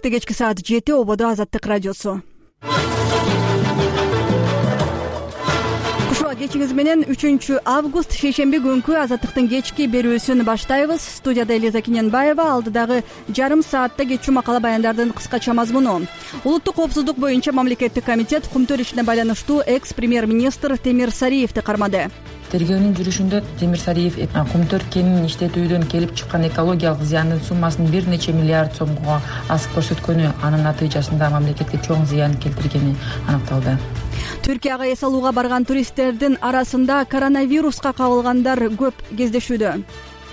Кечки саат 7 ободо Азаттык радиосу. Кушуа кечиңиз менен 3 август шейшемби күнкү Азаттыктын кечки берүүсүн баштайбыз. Студияда Элиза Киненбаева, алдыдагы жарым саатта кечүү макала баяндардын кыскача мазмуну. Улуттук коопсуздук боюнча мамлекеттик комитет кумтөр ишине байланыштуу экс-премьер-министр Темир Сариевди кармады. Тергөөнүн жүрүшүндө Темир Сариев кумтөр кенин иштетүүдөн келип чыккан экологиялык зыяндын суммасын бир нече миллиард сомго асып көрсөткөнү, анын натыйжасында мамлекетке чоң зыян келтиргени аныкталды. Түркияга эс алууга барган туристтердин арасында коронавируска кабылгандар көп кездешүүдө.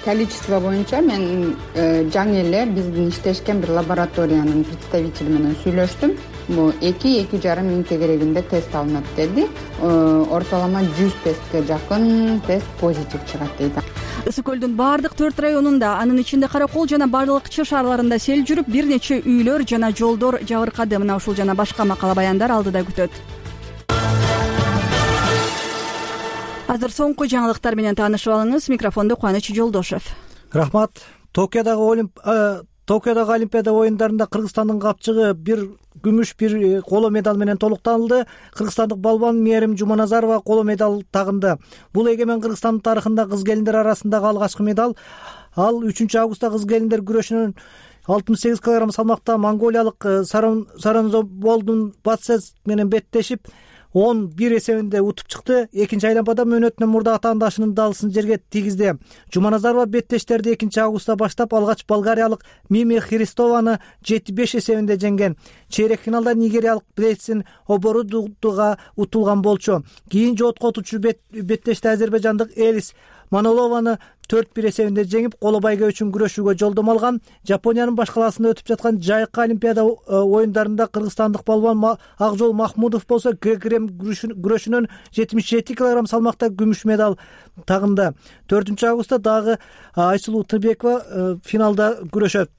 Количество боюнча мен жаңы эле биздин иштешкен бир лабораториянын представители менен сүйлөштүм. Бул 2-2,5 миң тегерегинде тест алынат деди. Ортолома 100 тестке жакын тест позитив чыгат дейт. Ысык көлдүн баардык 4 районунда, анын ичинде Каракол жана Барлыкчы шаарларында сел жүрүп, бир нече үйлөр жана жолдор жабыркады. Мына ушул жана башка макала баяндар алдыда күтөт. Азыр соңку жаңылыктар менен таанышып алыңыз. Микрофондо Кубаныч Жолдошев. Рахмат. Токиодогу Олимпиада оюндарында Кыргызстандын капчыгы бир күмүш, бир коло медаль менен толукталды. Кыргызстандык балбан Мээрим Жуманазарова коло медаль тагынды. Бул эгемен Кыргызстандын тарыхында кыз келиндер арасындагы алгачкы медаль. Ал 3 августта кыз келиндер күрөшүнүн 68 кг салмакта монголиялык Саранзоболдун Батсес менен беттешип 11 эсебинде утуп чыкты. Экинчи айлампада мөөнөтүнөн мурда атаандашынын далысын жерге тийгизди. Жуманазарова беттештерди 2 августта баштап алгач болгариялык Мими Христованы 7-5 эсебинде жеңген. Чейрек финалда нигериялык Блейсин Оборудуга утулган болчу. Кийин жоготко отучу беттеште азербайжандык Элис Манолованы 4-1 эсебинде жеңип, коло байге үчүн күрөшүүгө жолдомо алган. Жапониянын баш калаасында өтүп жаткан Жайкы Олимпиада оюндарында кыргызстандык балбан Акжол Махмудов болсо грек-рим күрөшүнөн 77 кг салмакта күмүш медаль тагынды. 4 августта дагы Айсулуу Тыбекова финалда күрөшөт.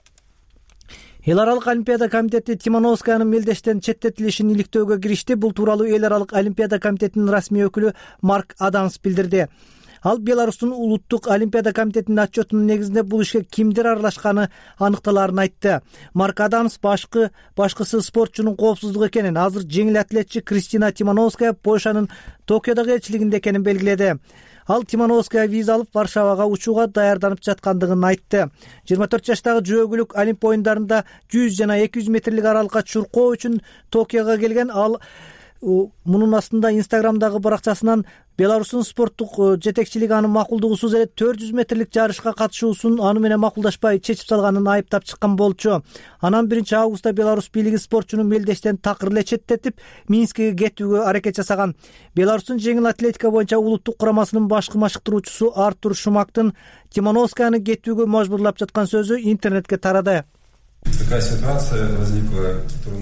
Эл аралык Олимпиада комитети Тимановскаянын мелдештен четтетилишин иликтөөгө киришти. Бул тууралуу Эл аралык Олимпиада комитетинин расмий өкүлү Марк Адамс билдирди. Ал Беларустун улуттук Олимпиада комитетинин отчетунун негизинде бул ишке кимдер аралашканы аныкталарын айтты. Марк Адамс башкысы спортчунун коопсуздугу экенин, азыр жеңил атлетчи Кристина Тимановская Польшанын Токиодогу элчилигинде экенин белгиледи. Ал Тимановская виза алып Варшавага учууга даярданып жаткандыгын айтты. 24 жаштагы жөөгүлүк Олимп оюндарында 100 жана 200 метрлик аралыкка чуркоо үчүн Токиого келген. Ал мунун астында Инстаграмдагы баракчасынан Беларустун спорттук жетекчилиги анын макулдугусуз эле 400 метрлик жарышка катышуусун аны менен макулдашпай чечип салганын айыптап чыккан болчу. Анан 1 августта Беларусь бийлиги спортчуну мелдештен такыр эле четтетип, Минскиге кетүүгө аракет жасаган. Беларустун жеңил атлетика боюнча улуттук курамасынын башкы машыктыруучусу Артур Шумактын Тимановскаяны кетүүгө мажбурлап жаткан сөзү интернетке тарады.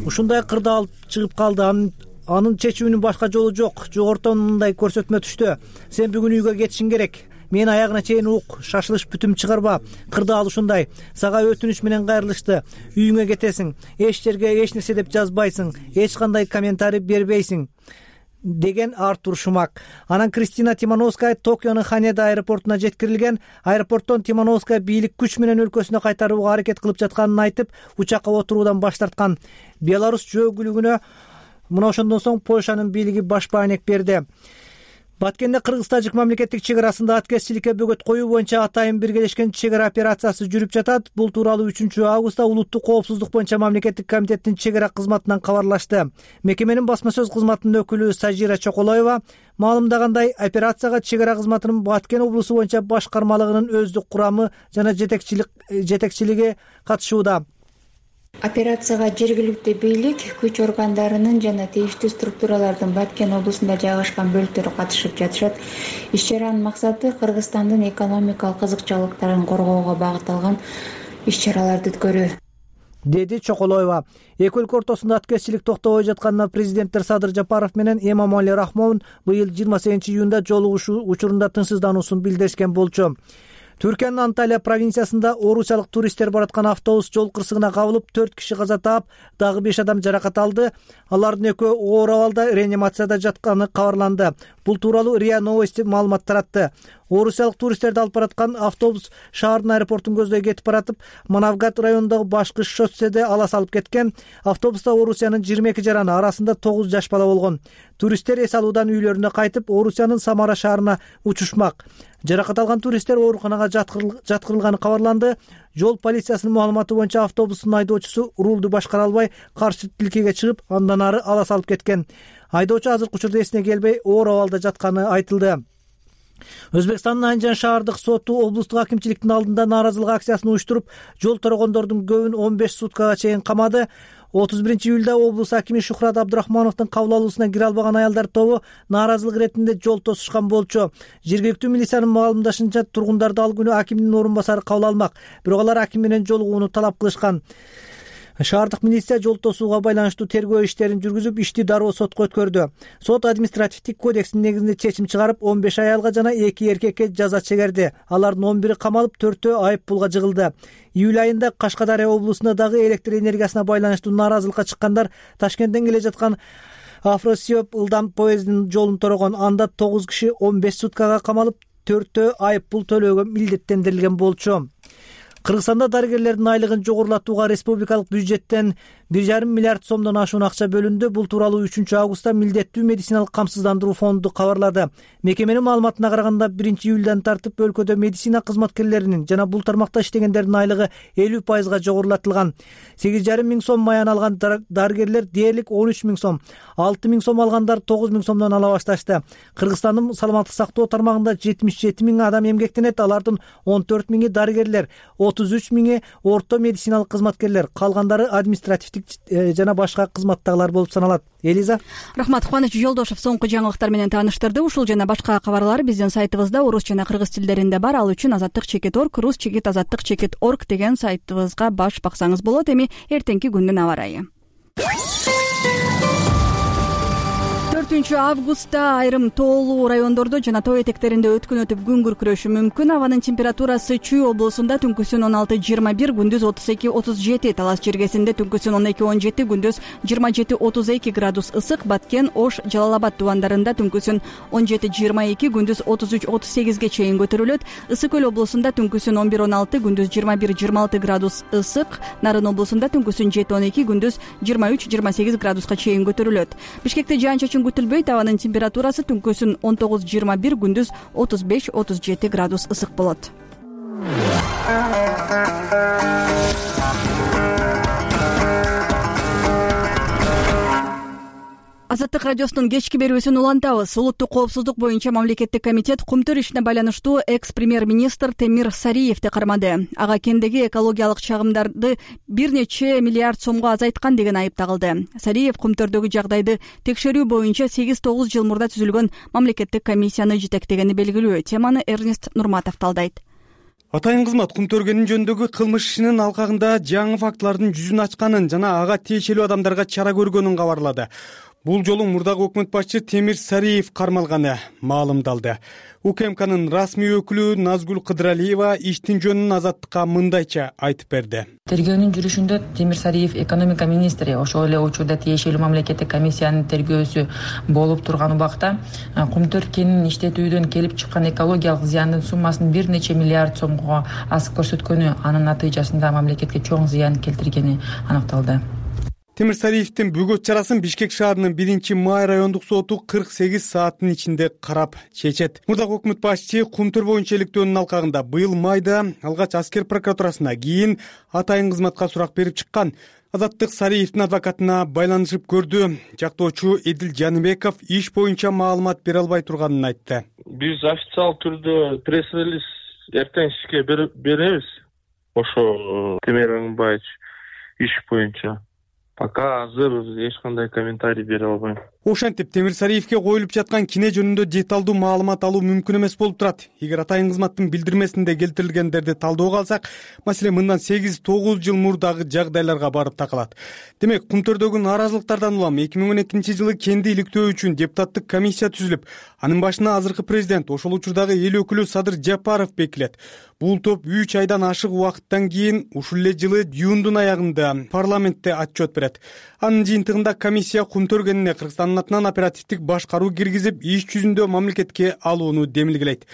Ушундай кырдаал чыгып калды. Анын чечүүнүн башка жолу жок. Жогорудон мындай көрсөтмө түштү. Сен бүгүн үйгө кетишиң керек. Мен аягына чейин ук, шашылыш бүтүм чыгарба. Кырдаал ушундай. Сага өтүнүч менен кайрылышты. Үйүңө кетесиң. Эч жерге эч нерсе деп жазбайсың. Эч кандай комментарий бербейсиң, деген Артур Шумак. Анан Кристина Тимановская Токионун Ханеда аэропортуна жеткирилген. Аэропорттон Тимановская бийлик күч менен өлкөсүнө кайтарууга аракет кылып жатканын айтып, учакка отуруудан баш тарткан. Беларусь жөөгүлүгүнө мына ошондон соң Польшанын бийлиги баш баанек берди. Баткенде Кыргыз-Тажик мамлекеттик чек арасында аткезчиликке бөгөт коюу боюнча атайын биргелешкен чек ара операциясы жүрүп жатат. Бул тууралуу 3 августта улуттук коопсуздук боюнча мамлекеттик комитеттин чек ара кызматынан кабарлашты. Мекеменин басма сөз кызматынын өкүлү Сажира Чоколоева маалымдагандай, операцияга чек ара кызматынын Баткен облусу боюнча башкармалыгынын өздүк курамы жана жетекчилиги катышууда. Операцияга жергиликтүү бийлик, күч органдарынын жана тийиштүү структуралардын Баткен облусунда жайгашкан бөлүктөрү катышып жатышат. Иш-чаранын максаты Кыргызстандын экономикалык кызыкчылыктарын коргоого багытталган иш-чараларды өткөрүү, деди Чоколоева. Эки өлкө ортосунда аткезчилик токтобой жатканына президенттер Садыр Жапаров менен Эмомали Рахмон быйыл 28 июнда жолугушуу учурунда тынчсыздануусун билдиришкен болчу. Түркиянын Анталия провинциясында орусиялык туристтер бараткан автобус жол кырсыгына кабылып 4 киши каза таап, дагы 5 адам жаракат алды. Алардын экөө оор абалда реанимацияда жатканы кабарланды. Бул тууралуу РИА Новости маалымат таратты. Орусиялык туристтерди алып бараткан автобус шаардын аэропортун көздөй кетип баратып, Манавгат районундагы башкы шосседе ала салып кеткен. Автобуста Орусиянын 22 жараны, арасында 9 жаш бала болгон. Туристтер эс алуудан үйлөрүнө кайтып, Орусиянын Самара шаарына учушмак. Жаракат алган туристтер ооруканага жаткырылганы кабарланды. Жол полициясынын маалыматы боюнча автобустун айдоочусу рулду башкара албай, каршы тилкеге чыгып, андан ары ала салып кеткен. Айдоочу азыркы учурда эсине келбей, оор абалда жатканы айтылды. Өзбекстандын Анжан шаардык соту облустук акимчиликтин алдында нааразылык акциясын уюштуруп, жол торогондордун көбүн 15 суткага чейин камады. 31-июлда облус акими Шухрат Абдурахмановдун кабыл алуусуна кире албаган аялдар тобу нааразылык иретинде жол тосушкан болчу. Жергиликтүү милициянын маалымдашынча, тургундарды ал күнү акимдин орун басары кабыл алмак, бирок алар аким менен жолугууну талап кылышкан. Шаардык милиция жол тосууга байланыштуу тергөө иштерин жүргүзүп, ишти дароо сотко өткөрдү. Сот административдик кодекстин негизинде чечим чыгарып, 15 аялга жана 2 эркекке жаза чегерди. Алардын 11-и камалып, 4-өө айып пулга жыгылды. Июль айында Кашкадария облусунда дагы электр энергиясына байланыштуу нааразылыкка чыккандар Ташкенттен келе жаткан Афросиоп ылдам поездинин жолун торогон. Анда 9 киши 15 суткага камалып, 4-өө айып пул төлөөгө милдеттендирилген болчу. Кыргызстанда дарыгерлердин айлыгын жогорулатууга республикалык бюджеттен 1,5 миллиард сомдон ашуун акча бөлүндү. Бул тууралуу 3-августта милдеттүү медициналык камсыздандыруу фонду кабарлады. Мекеменин маалыматына караганда, 1-июлдан тартып өлкөдө медицина кызматкерлеринин жана бул тармакта иштегендердин айлыгы 50% жогорулатылган. 8,5 миң сом маян алган дарыгерлер дээрлик 13 миң сом, 6 миң сом алгандар 9 миң сомдон ала башташты. Кыргызстандын саламаттык сактоо тармагында 77 миң адам эмгектенет. Алардын 14 миңи дарыгерлер, 33 миңи орто медициналык кызматкерлер, калгандары административдик жана башка кызматтагылар болуп саналат. Элиза. Рахмат. Кубаныч Жолдошов соңку жаңылыктар менен тааныштырды. Ушул жана башка кабарлар биздин сайтыбызда орус жана кыргыз тилдеринде бар. Ал үчүн azatlyk.org, rus-azatlyk.org деген сайтыбызга баш баксаңыз болот. Эми эртеңки күндүн аба ырайы. 4-августта айрым тоолуу райондордо жана тоо этектеринде өткөн өтүп күн күркүрөшү мүмкүн. Абанын температурасы Чүй облусунда түнкүсүн 16-21, күндүз 32-37, Талас жергесинде түнкүсүн 12-17, күндүз 27-32 градус ысык, Баткен, Ош, Жалал-Абад тубандарында түнкүсүн 17-22, күндүз 33-38ге чейин көтөрүлөт. Ысык көл облусунда түнкүсүн 11-16, күндүз 21-26 градус ысык, Нарын облусунда түнкүсүн 7-12, күндүз 23-28 градуска чейин көтөрүлөт. Бишкекте жаан-чачын күтүлбөйт. Абанын температурасы түнкүсүн 19-21, күндүз 35-37 градус ысык болот. Азаттык радиосунун кечки берүүсүн улантабыз. Улуттук коопсуздук боюнча мамлекеттик комитет кумтөр ишине байланыштуу экс-премьер-министр Темир Сариевди кармады. Ага кендеги экологиялык чагымдарды 1 миллиард сомго азайткан деген айып тагылды. Сариев кумтөрдөгү жагдайды текшерүү боюнча 8-9 жыл мурда түзүлгөн мамлекеттик комиссияны жетектегени белгилүү. Теманы Эрнест Нурматов талдайт. Атайын кызмат кумтөргөнүн жөнүндөгү кылмыш ишинин алкагында жаңы фактылардын жүзүн ачканын жана ага тиешелүү адамдарга чара көргөнүн кабарлады. Бул жолу мурдагы өкмөт башчы Темир Сариев кармалганы маалымдалды. УКМКнын расмий өкүлү Назгүл Кыдыралиева иштин жөнүн Азаттыкка мындайча айтып берди. Тергөөнүн жүрүшүндө Темир Сариев экономика министри, ошол эле учурда тиешелүү мамлекеттик комиссиянын тергөөсү болуп турган убакта кумтөр кенин иштетүүдөн келип чыккан экологиялык зыяндын суммасын 1 миллиард сомго асып көрсөткөнү, анын натыйжасында мамлекетке чоң зыян келтиргени аныкталды. Темир Сариевдин бөгөт чарасын Бишкек шаарынын 1-май райондук соту 48 сааттын ичинде карап чечет. Мурдагы өкмөт башчы кумтөр боюнча иликтөөнүн алкагында быйыл майда алгач аскер прокуратурасына, кийин атайын кызматка сурак берип чыккан. Азаттык Сариевдин адвокатына байланышып көрдү. Жактоочу Эдил Жаныбеков иш боюнча маалымат бере албай турганын айтты. Биз официал түрдө пресс-релиз эртең сизге беребиз. Ошо Темир Аңбаевич иш боюнча. Пока азыр эч кандай комментарий бере албайм. Ошентип Темир Сариевге коюлуп жаткан кине жөнүндө деталдуу маалымат алуу мүмкүн эмес болуп турат. Эгер атайын кызматтын билдирмесинде келтирилгендерди талдөөгө алсак, маселе мындан 8-9 жыл мурдагы жагдайларга барып такалат. Демек, кумтөрдөгү нааразылыктардан улам 2012 жылы кенди иликтөө үчүн депутаттык комиссия түзүлүп, анын башына азыркы президент, ошол учурдагы эл өкүлү Садыр Жапаров бекилет. Бул топ 3 айдан ашык убакыттан кийин ушул эле жылы июндун аягында парламентте отчет берет. Анын жыйынтыгында комиссия кумтөр кенине Кыргызстандын санатынан оперативдик башкаруу киргизип, иш жүзүндө мамлекетке алууну демилгелейт.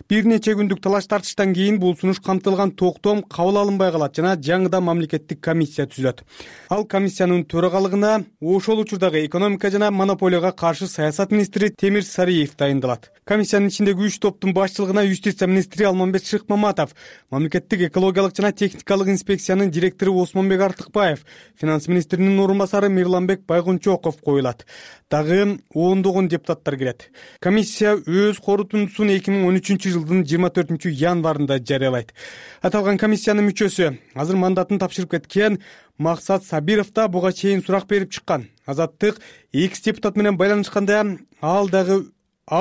Бир нече күндүк талаш тартыштан кийин бул сунуш камтылган токтом кабыл алынбай калат жана жаңыдан мамлекеттик комиссия түзүлөт. Ал комиссиянын төрагалыгына ошол учурдагы экономика жана монополияга каршы саясат министри Темир Сариев дайындалат. Комиссиянын ичиндеги 3 топтун башчылыгына юстиция министри Алмамбет Шыкмаматов, мамлекеттик экологиялык жана техникалык инспекциянын директору Осмонбек Артыкбаев, финанс министринин орун басары Мирланбек Байгунчоков коюлат. Дагы ондогон депутаттар кирет. Комиссия өз корутундусун 2013 жылдын 24 январында жарыялайт. Аталган комиссиянын мүчөсү азыр мандатын тапшырып кеткен Максат Сабиров да буга чейин сурак берип чыккан. Азаттык экс депутат менен байланышканда ал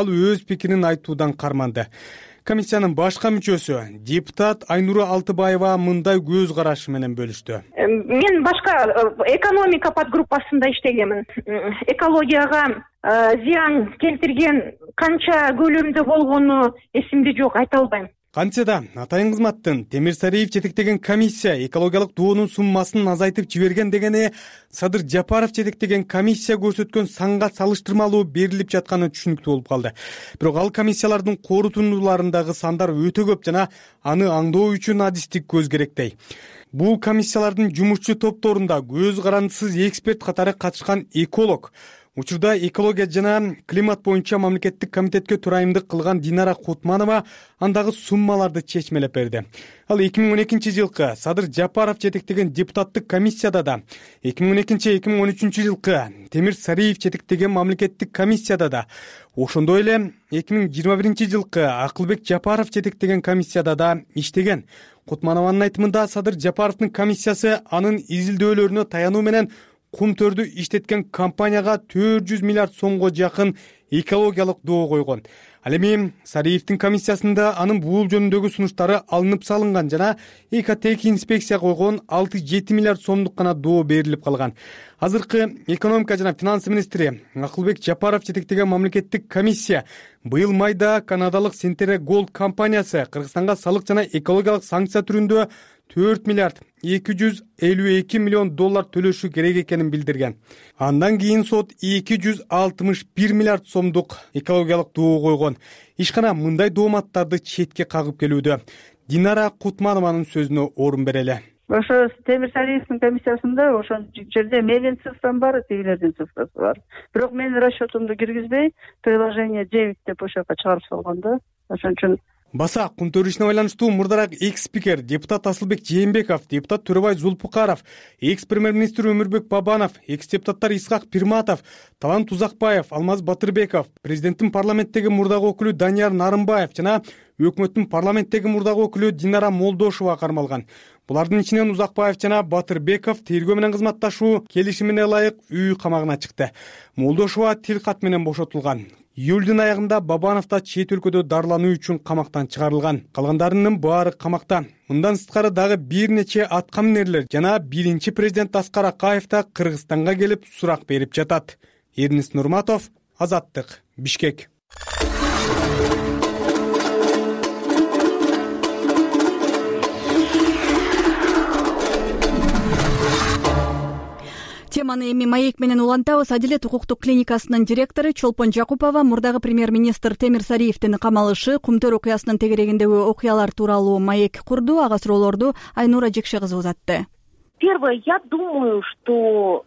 өз пикирин айтуудан карманды. Комиссиянын башка мүчөсү депутат Айнура Алтыбаева мындай көз карашы менен бөлүштү. Мен башка экономика подгруппасында иштегемин. Экологияга зыян келтирген канча көлөмдө болгону эсимде жок, айта албайм. Кантсе да атайын кызматтын Темир Сариев жетектеген комиссия экологиялык доонун суммасын азайтып жиберген дегени Садыр Жапаров жетектеген комиссия көрсөткөн санга салыштырмалуу берилип жатканы түшүнүктүү болуп калды. Бирок ал комиссиялардын корутундуларындагы сандар өтө көп жана аны аңдоо үчүн адистик көз керектей. Бул комиссиялардын жумушчу топторунда көз карандысыз эксперт катары катышкан эколог, учурда экология жана климат боюнча мамлекеттик комитетке төрайымдык кылган Динара Кутманова андагы суммаларды чечмелеп берди. Ал 2012 жылкы Садыр Жапаров жетектеген депутаттык комиссияда да, 2012-2013 жылкы Темир Сариев жетектеген мамлекеттик комиссияда да, ошондой эле 2021 жылкы Акылбек Жапаров жетектеген комиссияда да иштеген. Кутманованын айтымында Садыр Жапаровдун комиссиясы анын изилдөөлөрүнө таянуу менен кум төрдү иштеткен компанияга 400 миллиард сомго жакын экологиялык доо койгон. Ал эми Сариевдин комиссиясында анын бул жөнүндөгү сунуштары алынып салынган жана ЭКТК инспекция койгон 6-7 миллиард сомдук гана доо берилип калган. Азыркы экономика жана финанс министри Акылбек Жапаров жетектеген мамлекеттик комиссия быйыл майда канадалык Сентере Голд компаниясы Кыргызстанга салык жана экологиялык санкция түрүндө 4 миллиард 252 миллион доллар төлөшү керек экенин билдирген. Андан кийин сот 261 миллиард сомдук экологиялык доо койгон. Ишкана мындай дооматтарды четке кагып келүүдө. Динара Кутманованын сөзүнө орун берели. Ошо Темир Сариевдин комиссиясында ошол жерде менин цифрам бар, тигилердин цифрасы бар. Бирок менин расчетумду киргизбей, приложение 9 деп ошол жака чыгарып салган да. Ошон үчүн Баса кум төрүшүнө байланыштуу мурдараак экс-спикер депутат Асылбек Жээнбеков, депутат Төрөбай Зулпукаров, экс-премьер-министр Өмүрбек Бабанов, экс-депутаттар Исхак Пирматов, Талант Узакбаев, Алмаз Батырбеков, президенттин парламенттеги мурдагы өкүлү Данияр Нарымбаев жана өкмөттүн парламенттеги мурдагы өкүлү Динара Молдошова кармалган. Булардын ичинен Узакбаев жана Батырбеков тергөө менен кызматташуу келишимине ылайык үй камагына чыкты. Молдошова тил кат менен бошотулган. Июлдун аягында Бабанов да чет өлкөдө дарылануу үчүн камактан чыгарылган. Калгандарынын баары камакта. Мындан сырткары дагы бир нече аткаминерлер жана биринчи президент Аскар Акаев да Кыргызстанга келип сурак берип жатат. Эрнис Нурматов, Азаттык, Бишкек. Теманы эми маек менен улантабыз. Адилет укуктук клиникасынын директору Чолпон Жакупова мурдагы премьер-министр Темир Сариевдин камалышы, Кумтөр окуясынын тегерегиндеги окуялар тууралуу маек курду. Ага суроолорду Айнура Жекше кызы узатты. Первое, я думаю, что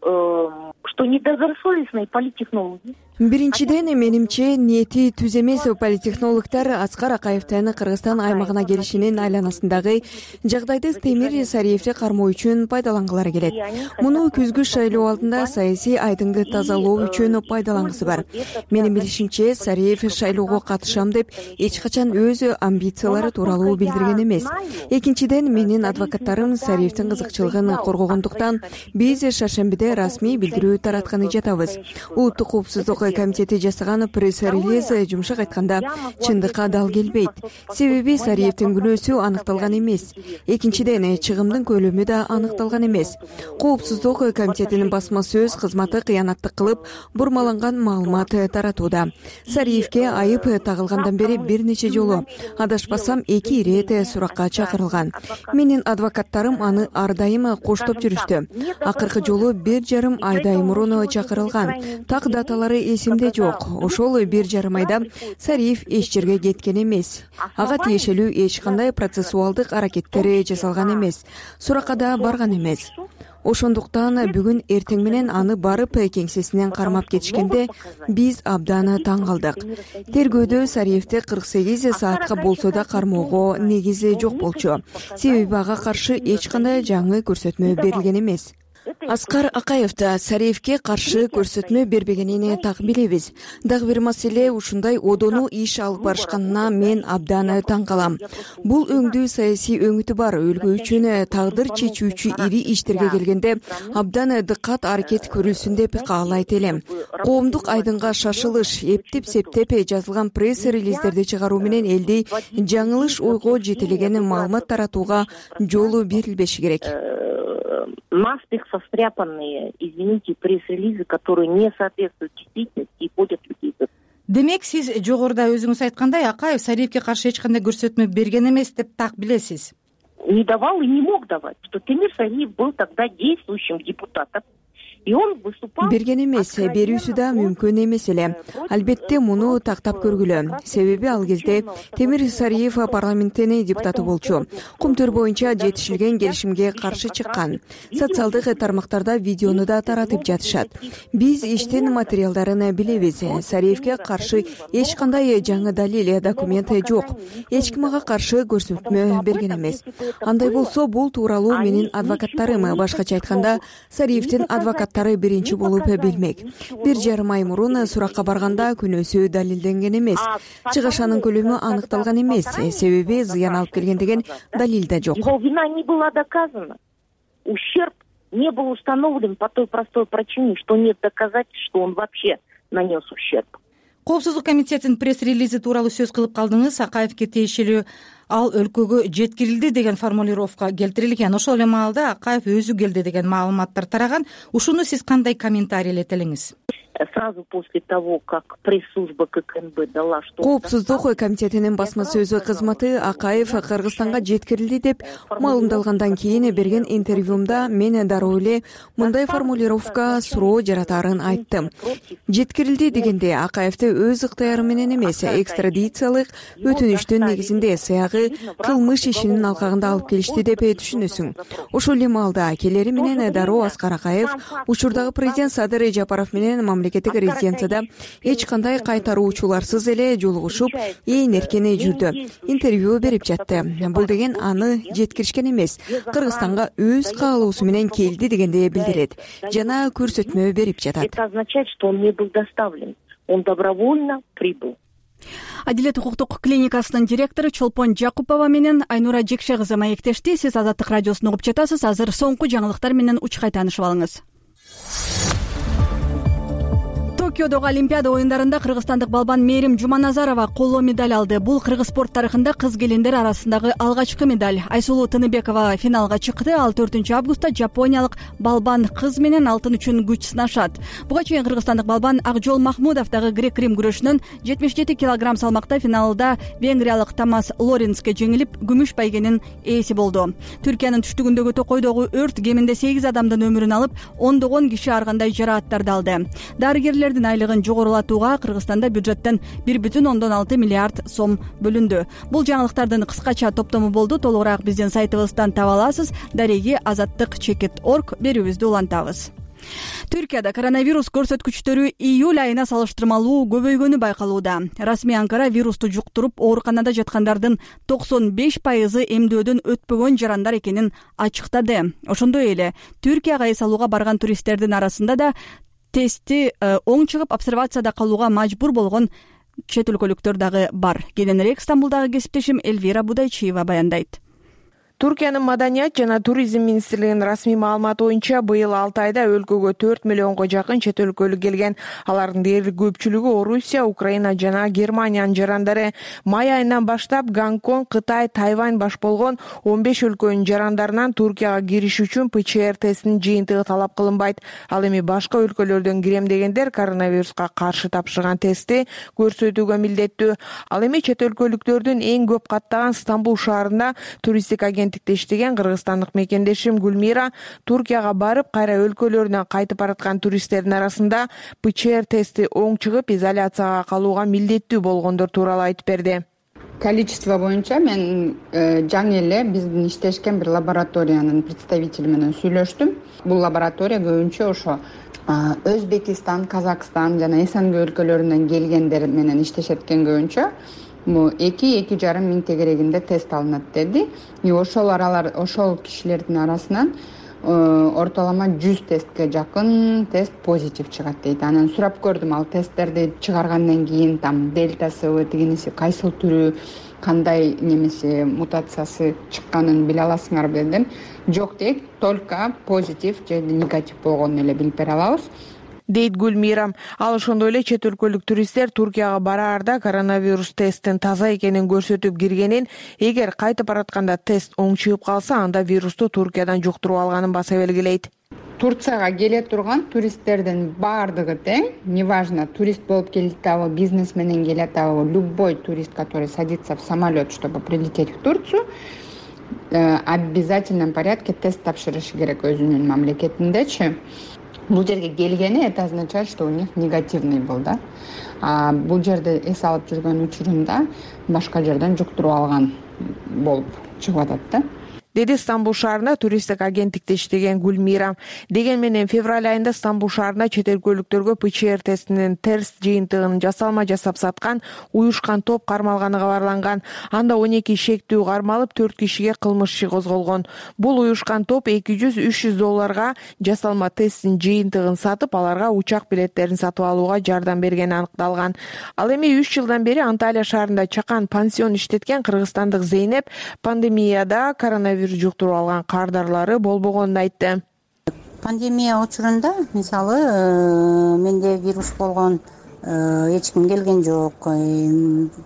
недобросовестные политтехнологи. Биринчиден, менимче, ниети түз эмес политтехнологдор Аскар Акаевдин Кыргызстан аймагына келишинин айланасындагы жагдайды Темир Сариевди кармоо үчүн пайдалангылары келет. Муну күзгү шайлоо алдында саясий айдыңды тазалоо үчүн пайдалангысы бар. Менин билишимче, Сариев шайлоого катышам деп эч качан өз амбициялары тууралуу билдирген эмес. Экинчиден, менин адвокаттарым Сариевдин кызыкчылыгын коргогондуктан биз шаршембиде расмий билдирүү таратканы жатабыз. Улуттук коопсуздук комитети жасаган пресс-релиз жумшак айтканда чындыкка дал келбейт. Себеби Сариевдин күнөөсү аныкталган эмес. Экинчиден, чыгымдын көлөмү да аныкталган эмес. Коопсуздук комитетинин басма сөз кызматы кыянаттык кылып, бурмаланган маалымат таратууда. Сариевге айып тагылгандан бери бир нече жолу, адашпасам 2 ирет суракка чакырылган. Менин адвокаттарым аны ар дайым коштоп жүрүштү. Акыркы жолу 1,5 айдай мурун чакырылган. Так даталары эсимде жок. Ошол 1,5 айда Сариев эч жерге кеткен эмес. Ага тиешелүү эч кандай процессуалдык аракеттер жасалган эмес. Суракка да барган эмес. Ошондуктан бүгүн эртең менен аны барып кеңсесинен кармап кетишкенде биз абдан таң калдык. Тергөөдө Сариевди 48 саатка болсо да кармоого негиз жок болчу. Себеби ага каршы эч кандай жаңы көрсөтмө берилген эмес. Аскар Акаев да Сариевге каршы көрсөтмө бербегенин так билебиз. Дагы бир маселе, ушундай одону иш алып барышканына мен абдан таң калам. Бул өңдүү саясий өңүтү бар өлкө үчүн тагдыр чечүүчү ири иштерге келгенде абдан дыккат аракет көрүлсүн деп каалайт элем. Коомдук айдынга шашылыш, эптеп-септеп жазылган пресс-релиздерди чыгаруу менен элди жаңылыш ойго жетелеген маалымат таратууга жолу берилбеши керек. Наспех состряпанные, извините, пресс-релизы, которые не соответствуют действительности и вводят людей. Демек, сиз жогоруда өзүңүз айткандай, Акаев Сариевге каршы эч кандай көрсөтмө берген эмес деп так билесиз. Не давал и не мог давать, что Темир Сариев был тогда действующим депутатом. Берген эмес, берүүсү да мүмкүн эмес эле. Албетте муну тактап көргүлө. Себеби ал кезде Темир Сариев парламенттин депутаты болчу. Кумтөр боюнча жетишилген келишимге каршы чыккан. Социалдык тармактарда видеону да таратып жатышат. Биз иштин материалдарын билебиз. Сариевге каршы эч кандай жаңы далил, документ жок. Эч ким ага каршы көрсөтмө берген эмес. Андай болсо, бул тууралуу менин адвокаттарым, башкача айтканда, Сариевдин адвокаттары биринчи болуп билмек. 1,5 ай мурун суракка барганда күнөөсү далилденген эмес. Чыгышанын көлөмү аныкталган эмес. Себеби зыян алып келген деген далил да жок. Его вина не была доказана. Ущерб не был установлен по той простой причине, что нет доказательств, что он вообще нанес ущерб. Коопсуздук комитетинин пресс-релизи тууралуу сөз кылып калдыңыз. Акаевге тиешелүү ал өлкөгө жеткирилди деген формулировка келтирилген. Ошол эле маалда Акаев өзү келди деген маалыматтар тараган. Ушуну сиз кандай комментарийлете элеңиз? Сразу после того, как пресс-служба ККНБ дала, что... Коопсуздук комитетинин басма сөзү кызматы Акаев Кыргызстанга жеткирилди деп маалымдалгандан кийин берген интервьюмда мен дароо эле мындай формулировка суроо жаратаарын айттым. Жеткирилди дегенде Акаевди өз ыктыяры менен эмес, экстрадициялык өтүнүштүн негизинде сыягы кылмыш ишинин алкагында алып келишти деп түшүнөсүң. Ошол эле маалда келери менен дароо Аскар Акаев учурдагы президент Садыр Жапаров менен мамлекеттик резиденцияда эч кандай кайтаруучуларсыз эле жолугушуп, ээн эркен жүрдү. Интервью берип жатты. Бул деген аны жеткиришкен эмес, Кыргызстанга өз каалоосу менен келди дегенди билдирет. Жана көрсөтмө берип жатат. Это означает, что он не был доставлен. Он добровольно прибыл. Адилет укуктук клиникасынын директору Чолпон Жакупова менен Айнура Жекше кызы маектешти. Сиз Азаттык радиосун угуп жатасыз. Азыр соңку жаңылыктар менен учкай таанышып алыңыз. Токиодогу Олимпиада оюндарында кыргызстандык балбан Мээрим Жуманазарова коло медаль алды. Бул кыргыз спорт тарыхында кыз келиндер арасындагы алгачкы медаль. Айсулуу Тыныбекова финалга чыкты. Ал 4 августта жапониялык балбан кыз менен алтын үчүн күч сынашат. Буга чейин кыргызстандык балбан Акжол Махмудов дагы грек-рим күрөшүнөн 77 кг салмакта финалда венгриялык Томас Лоренске жеңилип, күмүш байгенин ээси болду. Түркиянын түштүгүндөгү Токойдогу өрт кеминде 8 адамдын өмүрүн алып, ондогон киши ар кандай жарааттарды алды. Дарыгерлердин айлыгын жогорулатууга Кыргызстанда бюджеттен 1,6 миллиард сом бөлүндү. Бул жаңылыктардын кыскача топтому болду. Толугураак биздин сайтыбыздан таба аласыз. Дареги azаттык.org берүүбүздү улантабыз. Түркияда коронавирус көрсөткүчтөрү июль айына салыштырмалуу көбөйгөнү байкалууда. Расмий Анкара вирусту жуктуруп ооруканада жаткандардын 95% эмдөөдөн өтпөгөн жарандар экенин ачыктады. Ошондой эле Түркияга эс алууга барган туристтердин арасында да тести оң чыгып обсервацияда калууга мажбур болгон чет өлкөлүктөр дагы бар. Кененирээк Стамбулдагы кесиптешим Эльвира Будайчиева баяндайт. Туркиянын маданият жана туризм министрлигинин расмий маалыматы боюнча быйыл 6 айда өлкөгө 4 миллионго жакын чет өлкөлүк келген. Алардын дээрлик көпчүлүгү Орусия, Украина жана Германиянын жарандары. Май айынан баштап Гонконг, Кытай, Тайвань баш болгон 15 өлкөнүн жарандарынан Туркияга кириш үчүн ПЧР тестинин жыйынтыгы талап кылынбайт. Ал эми башка өлкөлөрдөн кирем дегендер коронавируска каршы тапшырган тестти көрсөтүүгө милдеттүү. Ал эми чет өлкөлүктөрдүн эң көп каттаган Стамбул шаарында туристтик агенттикте иштеген кыргызстандык мекендешим Гүлмира Туркияга барып, кайра өлкөлөрүнөн кайтып бараткан туристтердин арасында ПЧР тести оң чыгып, изоляцияга калууга милдеттүү болгондор тууралуу айтып берди. Количество боюнча мен жаңы эле биздин иштешкен бир лабораториянын представители менен сүйлөштүм. Бул лаборатория көбүнчө ошо Өзбекистан, Казакстан жана СНГ өлкөлөрүнөн келгендер менен иштешет экен көбүнчө. Бул 2-2,5 миң тегерегинде тест алынат деди. Ошол кишилердин арасынан ортолома 100 тестке жакын тест позитив чыгат дейт. Анан сурап көрдүм, ал тесттерди чыгаргандан кийин там дельтасы, тигиниси кайсыл түрү, кандай немеси мутациясы чыкканын биле аласыңарбы дедим. Жок дейт, только позитив же негатив болгонун эле билип бере алабыз дейт Гүлмира. Ал ошондой эле чет өлкөлүк туристтер Туркияга бараарда коронавирус тесттин таза экенин көрсөтүп киргенин, эгер кайтып баратканда тест оң чыгып калса, анда вирусту Туркиядан жуктуруп алганын баса белгилейт. Турцияга келе турган туристтердин баардыгы тең, неважно, турист болуп келет абы, бизнес менен келет абы, любой турист, который садится в самолет, чтобы прилететь в Турцию, обязательном порядке тест тапшырышы керек өзүнүн мамлекетиндечи. Бул жерге келгени, это означает, что у них негативный был, да. Бул жерде эс алып жүргөн учурунда башка жерден жуктуруп алган болуп чыгып атат да. Деди Стамбул шаарында туристтик агенттикте иштеген Гүлмира. Деген менен февраль айында Стамбул шаарында чет өлкөлүктөргө ПЧР тестинин терс жыйынтыгын жасалма жасап саткан уюшкан топ кармалганы кабарланган. Анда 12 шектүү кармалып, 4 кишиге кылмыш иши козголгон. Бул уюшкан топ $200-300 жасалма тесттин жыйынтыгын сатып, аларга учак билеттерин сатып алууга жардам бергени аныкталган. Ал эми 3 жылдан бери Анталия шаарында чакан пансион иштеткен кыргызстандык Зейнеп пандемияда коронавирус жуктуруп алган кардарлары болбогонун айтты. Пандемия учурунда, мисалы, менде вирус болгон, эч ким келген жок.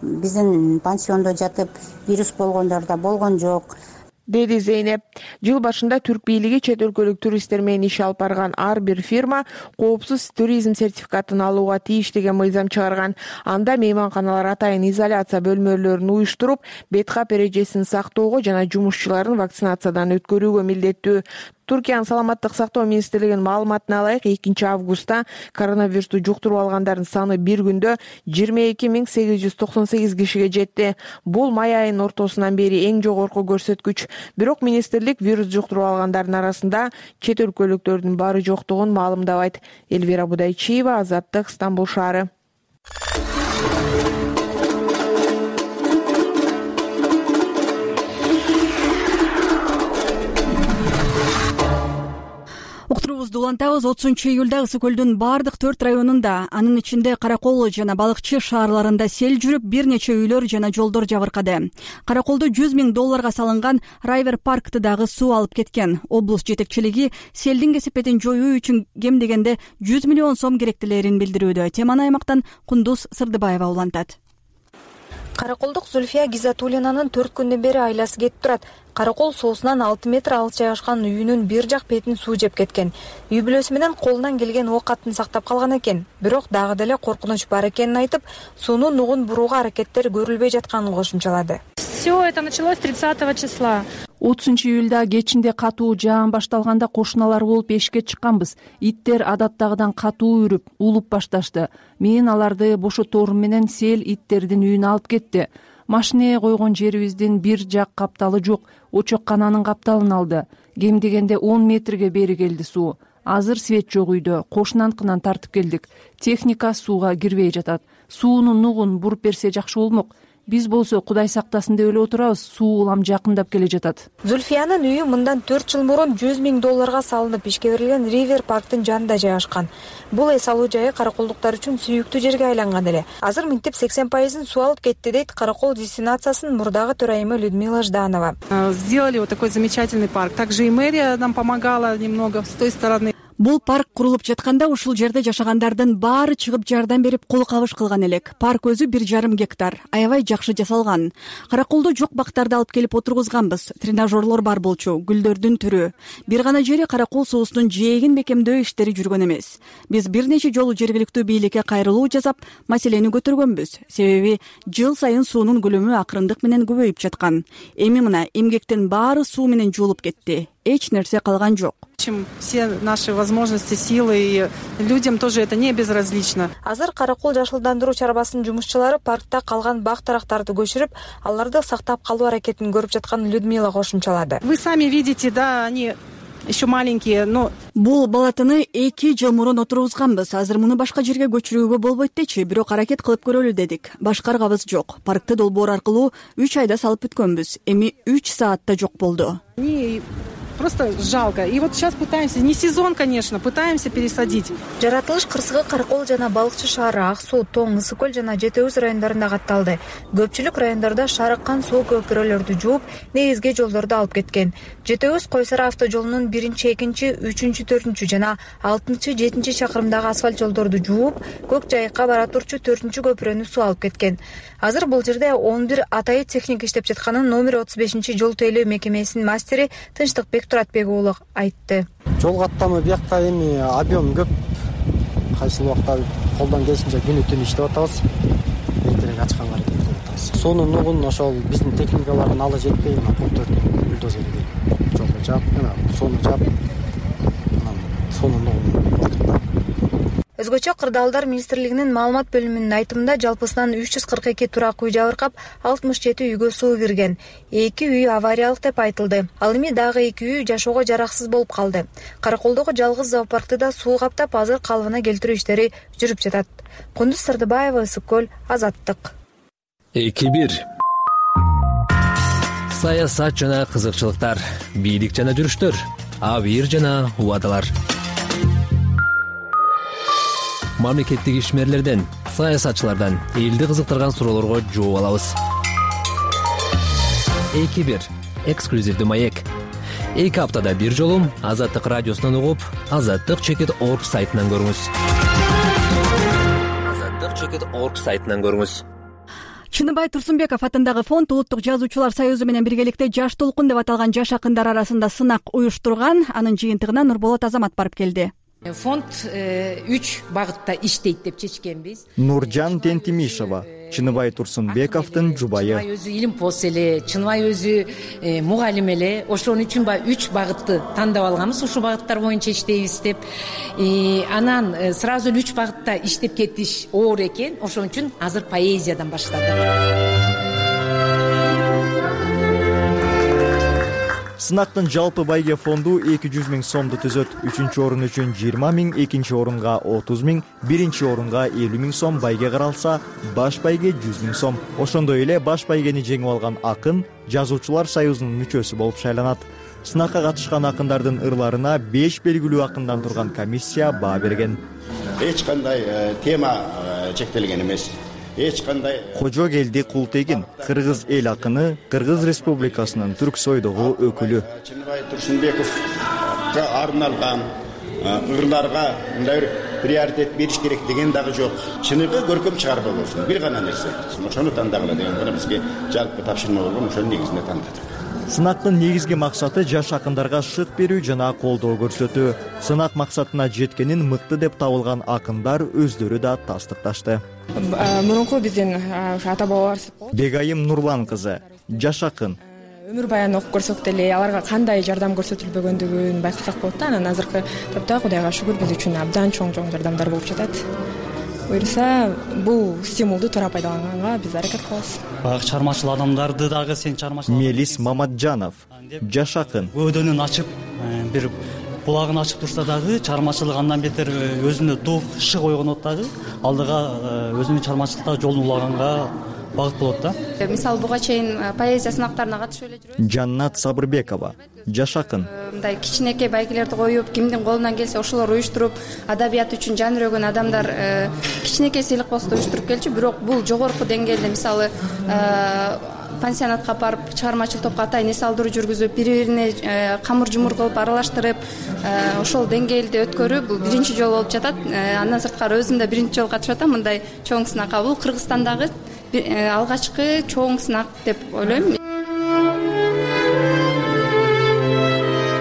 Биздин пансиондо жатып вирус болгондор да болгон жок, деди Зейнеп. Жыл башында түрк бийлиги чет өлкөлүк туристтер менен иш алып барган ар бир фирма коопсуз туризм сертификатын алууга тийиш деген мыйзам чыгарган. Анда мейманканалар атайын изоляция бөлмөлөрүн уюштуруп, беткап эрежесин сактоого жана жумушчуларын вакцинациядан өткөрүүгө милдеттүү. Туркиянын саламаттык сактоо министрлигинин маалыматына ылайык, 2 августта коронавирусту жуктуруп алгандардын саны бир күндө 22.898 кишиге жетти. Бул май айынын ортосунан бери эң жогорку көрсөткүч. Бирок министрлик вирус жуктуруп алгандардын арасында чет өлкөлүктөрдүн бары жоктугун маалымдабайт. Элвира Будайчиева, Азаттык, Стамбул шаары. Уктуруубузду улантабыз. 30-июлда Ысык көлдүн бардык 4 районунда, анын ичинде Каракол жана Балыкчы шаарларында сел жүрүп, бир нече үйлөр жана жолдор жабыркады. Караколдо $100,000 салынган Райвер паркты дагы суу алып кеткен. Облус жетекчилиги селдин кесепетин жоюу үчүн кем дегенде 100 миллион сом керектелерин билдирүүдө. Теманы аймактан Кундуз Сырдыбаева улантат. Караколдук Зульфия Гизатуллинанын 4 күндөн бери айласы кетип турат. Каракол соосунан 6 метр алыс жайгашкан үйүнүн бир жак бетин суу жеп кеткен. Үй бүлөсү менен колунан келген оокатын сактап калган экен. Бирок дагы деле коркунуч бар экенин айтып, сууну нугун бурууга аракеттер көрүлбөй жатканын кошумчалады. Все это началось 30 числа. 30-июлда кечинде катуу жаан башталганда кошуналар болуп эшикке чыкканбыз. Иттер адаттагыдан катуу үрүп, улуп башташты. Мен аларды бошоторум менен сел иттердин үйүнө алып кетти. Машинеге койгон жерибиздин бир жак капталы жок, очоккананын капталын алды. Кем дегенде 10 метрге бери келди суу. Азыр свет жок үйдө, кошунанткынан тартып келдик. Техника сууга кирбей жатат. Сууну нугун буруп берсе жакшы болмок. Биз болсо Кудай сактасын деп эле отурабыз, суу улам жакындап келе жатат. Зульфиянын үйү мындан 4 жыл мурун $100,000 салынып ишке берилген Ривер парктын жанында жайгашкан. Бул эс алуу жайы караколдуктар үчүн сүйүктүү жерге айланган эле. Азыр минтип 80% суу алып кетти дейт Каракол дестинациясынын мурдагы төрайымы Людмила Жданова. Сделали вот такой замечательный парк. Также и мэрия нам помогала немного с той стороны. Бул парк курулуп жатканда ушул жерде жашагандардын баары чыгып жардам берип кол кабыш кылган элек. Парк өзү 1,5 гектар. Аябай жакшы жасалган. Караколдо жок бактарды алып келип отургузганбыз. Тренажерлор бар болчу, гүлдөрдүн түрү. Бир гана жери Каракол суусунун жээгин бекемдөө иштери жүргөн эмес. Биз бир нече жолу жергиликтүү бийликке кайрылуу жасап, маселени көтөргөнбүз. Себеби жыл сайын суунун көлөмү акырындык менен көбөйүп жаткан. Эми мына эмгектин баары суу менен жуулуп кетти. Эч нерсе калган жок. Все наши возможности, силы, и людям тоже это не безразлично. Азыр Каракол жашылдандыруу чарбасынын жумушчулары паркта калган бак дарактарды көчүрүп, аларды сактап калуу аракетин көрүп жатканын Людмила кошумчалады. Вы сами видите, да, они еще маленькие, но бул балатыны 2 жыл мурун отургузганбыз. Азыр муну башка жерге көчүрүүгө болбойт дечи, бирок аракет кылып көрөлү дедик. Башкаргабыз жок. Паркты долбоор аркылуу 3 айда салып бүткөнбүз. Эми 3 саатта жок болду. Просто жалко. И вот сейчас пытаемся, не сезон, конечно, пытаемся пересадить. Жаратылыш кырсыгы Каракол жана Балыкчы шаары, Ак суу, Тоң, Ысык көл жана Жети Өз райондарында катталды. Көпчүлүк райондордо шарыккан суу көпүрөлөрдү жууп, негизги жолдорду алып кеткен. Жети Өз Койсара автожолунун 1-2, 3, 4 жана 6, 7 чакырымдагы асфальт жолдорду жууп, Көк Жайыкка бара турчу 4 көпүрөнү суу алып кеткен. Азыр бул жерде 11 атайы техника иштеп жатканын номер 35 жол тейлөө мекемесинин мастери Тынчтыкбек Туратбек уулу айтты. Жол каттамы биякта эми объем көп. Кайсыл убакта колдон келишинче күнү түн иштеп атабыз. Эртерээк ачканга аракет кылып атабыз. Суунун нугун ошол биздин техникалардын ала жетпей, пункттөрдүн бульдозерге жолго жаап, сууну жаап, суунун нугун. Өзгөчө Кырдаалдар министрлигинин маалымат бөлүмүнүн айтымында жалпысынан 342 турак үй жабыркап, 67 үйгө суу кирген. 2 үй авариялык деп айтылды. Ал эми дагы 2 үй жашоого жараксыз болуп калды. Караколдогу жалгыз зоопаркты да суу каптап, азыр калыбына келтирүү иштери жүрүп жатат. Кундуз Сырдыбаева, Ысык көл, Азаттык. 2-1. Саясат жана кызыкчылыктар, бийлик жана жүрүштөр, абийир жана убадалар. Мамлекеттик ишмерлерден, саясатчылардан элди кызыктырган суроолорго жооп алабыз. 2-1. Эксклюзивдүү маек. 2 аптада бир жолу Азаттык радиосунан угуп, azattik.org сайтынан көрүңүз. azattik.org сайтынан көрүңүз. Чыныбай Турсунбеков атындагы фонд Улуттук жазуучулар союзу менен биргеликте Жаш толкун деп аталган жаш акындар арасында сынак уюштурган. Анын жыйынтыгына Нурболот Азамат барып келди. Фонд 3 багытта иштейт деп чечкенбиз. Нуржан Тентимишева, Чыныбай Турсунбековдун жубайы. Чыныбай өзү илимпоз эле, Чыныбай өзү мугалим эле. Ошон үчүн 3 багытты тандап алганбыз, ушул багыттар боюнча иштейбиз деп. Анан сразу 3 багытта иштеп кетиш оор экен. Ошон үчүн азыр поэзиядан баштадык. Сынактын жалпы байге фонду 200 000 сомду түзөт. 3-чү орун үчүн 20 000, 2-чи орунга 30 000, 1-чи орунга 50 000 сом байге каралса, баш байге 100 000 сом. Ошондой эле баш байгени жеңип алган акын жазуучулар союзунун мүчөсү болуп шайланат. Сынакка катышкан акындардын ырларына 5 белгилүү акындан турган комиссия баа берген. Эч кандай тема чектелген эмес. Кожо келди Култегин, кыргыз эл акыны, Кыргыз Республикасынын Түрксойдогу өкүлү. Чыныбай Турсунбековго арналган ырларга мындай приоритет бериш керек деген дагы жок. Чыныгы көркөм чыгарма болсун, бир гана нерсе. Ошону тандагыла деген гана бизге жалпы тапшырма болгон, ошонун негизинде тандадык. Сынактын негизги максаты жаш акындарга шык берүү жана колдоо көрсөтүү. Сынак максатына жеткенин мыкты деп табылган акындар өздөрү да тастыкташты. Мурунку биздин ата бабалар Бегайым Нурлан кызы, жаш акын. Өмүр баян окуп көрсөк деле аларга кандай жардам көрсөтүлбөгөндүгүн байкасак болот да. Анан азыркы топто Кудайга шүгүр биз үчүн абдан чоң жардамдар болуп жатат. Буюрса, бул стимулду туура пайдаланганга биз аракет кылабыз. Баягы чармачыл адамдарды дагы сен чармачыл. Мелис Маматжанов, жаш акын. Өдөнүн ачып, бир булагын ачып турса дагы чармачылык андан бетер өзүнө дух, шык ойгонот дагы. Алдыга өзүнүн чармачылыкта жолун улаганга багыт болот да. Мисалы буга чейин поэзия сынактарына катышып эле жүрөбүз. Жаннат Сабырбекова, жаш акын. Мындай кичинекей байгелерди коюп, кимдин колунан келсе ошолор уюштуруп, адабият үчүн жан өрөгөн адамдар кичинекей сыйлык болсо да уюштуруп келчү. Бирок бул жогорку деңгээлде, мисалы пансионатка барып, чыгармачыл топко атайын эс алдыруу жүргүзүп, бири-бирине камыр жумур кылып, аралаштырып, ошол деңгээлде өткөрүү бул биринчи жолу болуп жатат. Андан сырткары өзүм да биринчи жолу катышып атам мындай чоң сынакка. Бул Кыргызстандагы алгачкы чоң сынак деп ойлойм.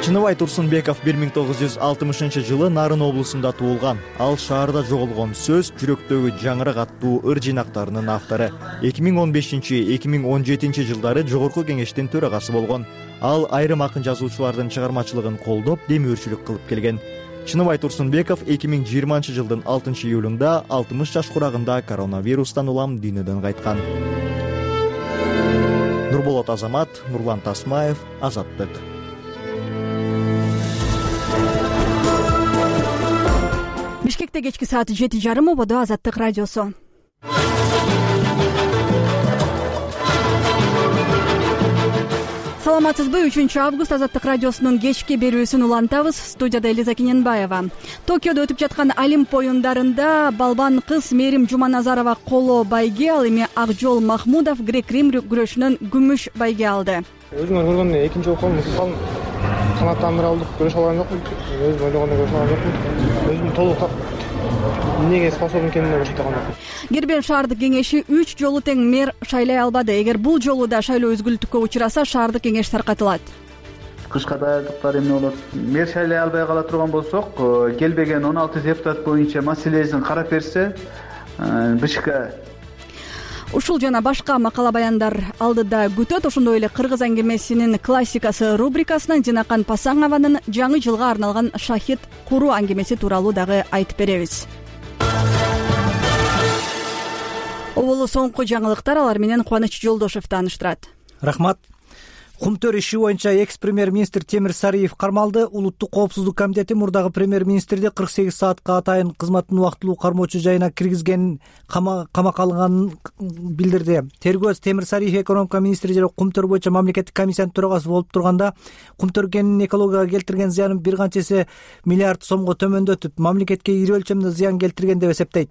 Чыныбай Турсунбеков 1960-жылы Нарын облусунда туулган. Ал шаарда жоголгон сөз, жүрөктөгү жаңырак аттуу ыр жыйнактарынын автору. 2015-2017 жылдары Жогорку Кеңештин төрагасы болгон. Ал айрым акын жазуучулардын чыгармачылыгын колдоп, демөөрчүлүк кылып келген. Чыныбай Турсунбеков 2020 жылдын 6 июлунда 60 жаш курагында коронавирустан улам дүйнөдөн кайткан. Нурболот Азамат, Нурлан Тасмаев, Азаттык. Бишкекте кечки саат 7:30 ободо Азаттык радиосу. Саламатсызбы? 3 август Азаттык радиосунун кечки берүүсүн улантабыз. Студияда Элиза Киненбаева. Токиодо өтүп жаткан Олимп оюндарында балбан кыз Мээрим Жуманазарова коло байге, ал эми Акжол Махмудов грек-рим күрөшүнөн күмүш байге алды. Өзүңөр көргөндөй экинчи окуум канаттандыра алдык, көрөшө алган жокмун. Өзүм ойлогондой көрөшө алган жокмун. Өзүм толук эмнеге способн экенине көрсөтө алган жокмун. Гербен шаардык кеңеши 3 жолу тең мэр шайлай албады. Эгер бул жолу да шайлоо өзгөлтүккө учураса, шаардык кеңеш таркатылат. Кышка даярдыктар эмне болот? Мэр шайлай албай кала турган болсок, келбеген 16 депутат боюнча маселесин карап берсе, БШК. Ушул жана башка макала баяндар алдыда күтөт. Ошондой эле кыргыз аңгемесинин классикасы рубрикасынан Жинакан Пасаңованын жаңы жылга арналган шахид куруу аңгемеси тууралуу дагы айтып беребиз. Оболу соңку жаңылыктар, алар менен Кубаныч Жолдошев тааныштырат. Рахмат. Кумтөр иши боюнча экс-премьер-министр Темир Сариев кармалды. Улуттук коопсуздук комитети мурдагы премьер-министрди 48 саатка атайын кызматтын убактылуу кармоочу жайына киргизгенин, камакка алынганын билдирди. Тергөөчү Темир Сариев экономика министри жана Кумтөр боюнча мамлекеттик комиссиянын төрагасы болуп турганда, Кумтөр кенинин экологияга келтирген зыянын бир канча эсе миллиард сомго төмөндөтүп, мамлекетке ири өлчөмдө зыян келтирген деп эсептейт.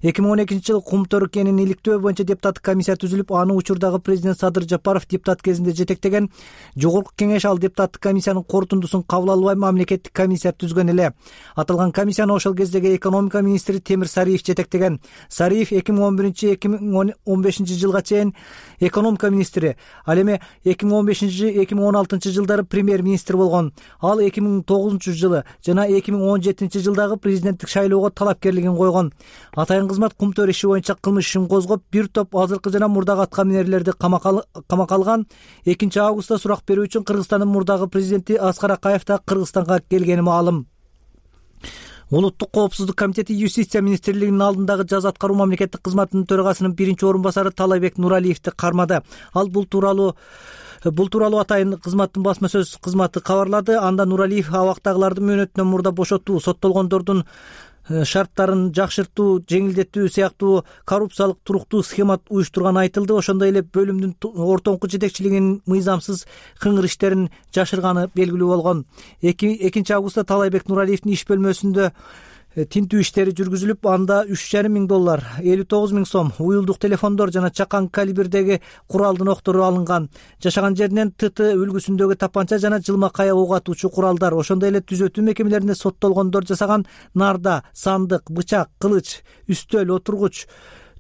2012-жылы Кумтөр кенин иликтөө боюнча депутаттык комиссия түзүлүп, аны учурдагы президент Садыр Жапаров депутат кезинде жетектеген. Жогорку кеңеш ал депутаттык комиссиянын корутундусун кабыл албай мамлекеттик комиссия түзгөн эле. Аталган комиссияны ошол кездеги экономика министри Темир Сариев жетектеген. Сариев 2011-2015 жылга чейин экономика министри, ал эми 2015-2016 жылдары премьер-министр болгон. Ал 2009 жылы жана 2017 жылдагы президенттик шайлоого талапкерлигин койгон. Атайын кызмат Кумтөр иши боюнча кылмыш ишин козгоп, бир топ азыркы жана мурдагы аткаминерлерди камакка алган. 2 августта сурак берүү үчүн Кыргызстандын мурдагы президенти Аскар Акаев да Кыргызстанга келгени маалым. Улуттук коопсуздук комитети Юстиция министрлигинин алдындагы жаза аткаруу мамлекеттик кызматынын төрагасынын биринчи орун басары Талайбек Нуралиевди кармады. Ал бул тууралуу атайын кызматтын басма сөз кызматы кабарлады. Анда Нуралиев абактагылардын мөөнөтүнөн мурда бошотуу, соттолгондордун шарттарын жакшыртуу, жеңилдетүү сыяктуу коррупциялык туруктуу схема уюштурганы айтылды. Ошондой эле бөлүмдүн ортоңку жетекчилигинин мыйзамсыз кыңыр иштерин жашырганы белгилүү болгон. 2 августта Талайбек Нуралиевдин иш бөлмөсүндө тинтүү иштери жүргүзүлүп, анда $3,500, 59,000 сом, уюлдук телефондор жана чакан калибрдеги куралдын октору алынган. Жашаган жеринен ТТ үлгүсүндөгү тапанча жана жылма кая ок атуучу куралдар, ошондой эле түзөтүү мекемелеринде соттолгондор жасаган нарда, сандык, бычак, кылыч, үстөл, отургуч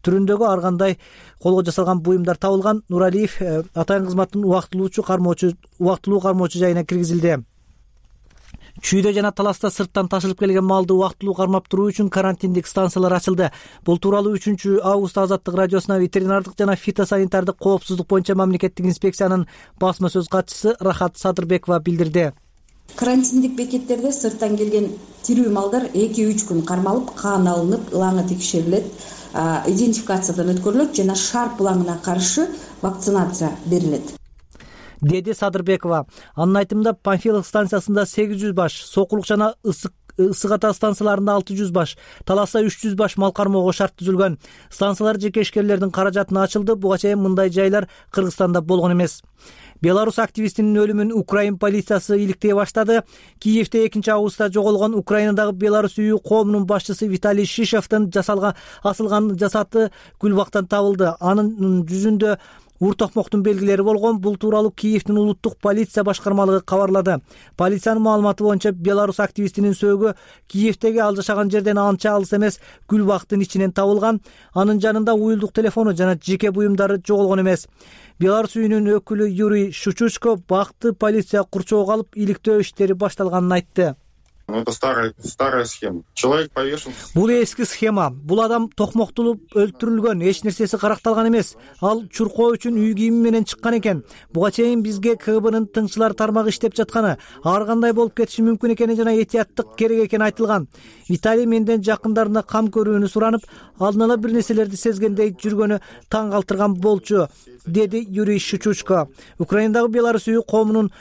түрүндөгү ар кандай колго жасалган буюмдар табылган. Нуралиев атайын кызматтын убактылуу кармоочу жайына киргизилди. Чүйдө жана таласта сырттан ташылып келген малды убактылуу кармап туруу үчүн карантиндик станциялар ачылды. Бул тууралуу 3 август Азаттык радиосуна ветеринардык жана фитосанитардык коопсуздук боюнча мамлекеттик инспекциянын басма сөз катчысы Рахат Садырбекова билдирди. Карантиндик бекеттерде сырттан келген тирүү малдар 2-3 күн кармалып, кан алынып, ылаңы текшерилет, идентификациядан өткөрүлөт жана шарп ылаңына каршы вакцинация берилет, деди Садырбекова. Анын айтымында Панфилов станциясында 800 баш сокулук жана ысык ата станцияларында 600 баш, Таласа 300 баш мал кармоого шарт түзүлгөн. Станциялар жеке ишкерлердин каражатына ачылды. Буга чейин мындай жайлар Кыргызстанда болгон эмес. Беларус активистинин өлүмүн Украин полициясы иликтей баштады. Киевде 2-августта жоголгон Украинадагы Беларус үйү коомунун башчысы Виталий Шишевдин асылган жасаты Гүлбактан табылды. Анын жүзүндө ур токмоктун белгилери болгон. Бул тууралуу Киевдин улуттук полиция башкармалыгы кабарлады. Полициянын маалыматы боюнча Беларус активистинин сөөгү Киевдеги ал жашаган жерден анча алыс эмес Гүлбактын ичинен табылган. Анын жанында уюлдук телефону жана жеке буюмдары жоголгон эмес. Беларус үйүнүн өкүлү Юрий Шучучко бакты полиция курчоого алып иликтөө иштери башталганын айтты. Это старая схема. Человек повешен. Бул эски схема. Бул адам токмоктулуп өлтүрүлгөн, эч нерсеси каракталган эмес. Ал чуркоо үчүн үй кийими менен чыккан экен. Буга чейин бизге КГБнын тыңчылар тармагы иштеп жатканы, ар кандай болуп кетиши мүмкүн экени жана этияттык керек экени айтылган. Виталий менден жакындарына кам көрүүнү суранып, алдын ала бир нерселерди сезгендей жүргөнү таң калтырган болчу, деди Юрий Шучучко. Украинадагы Беларус үйү коомунун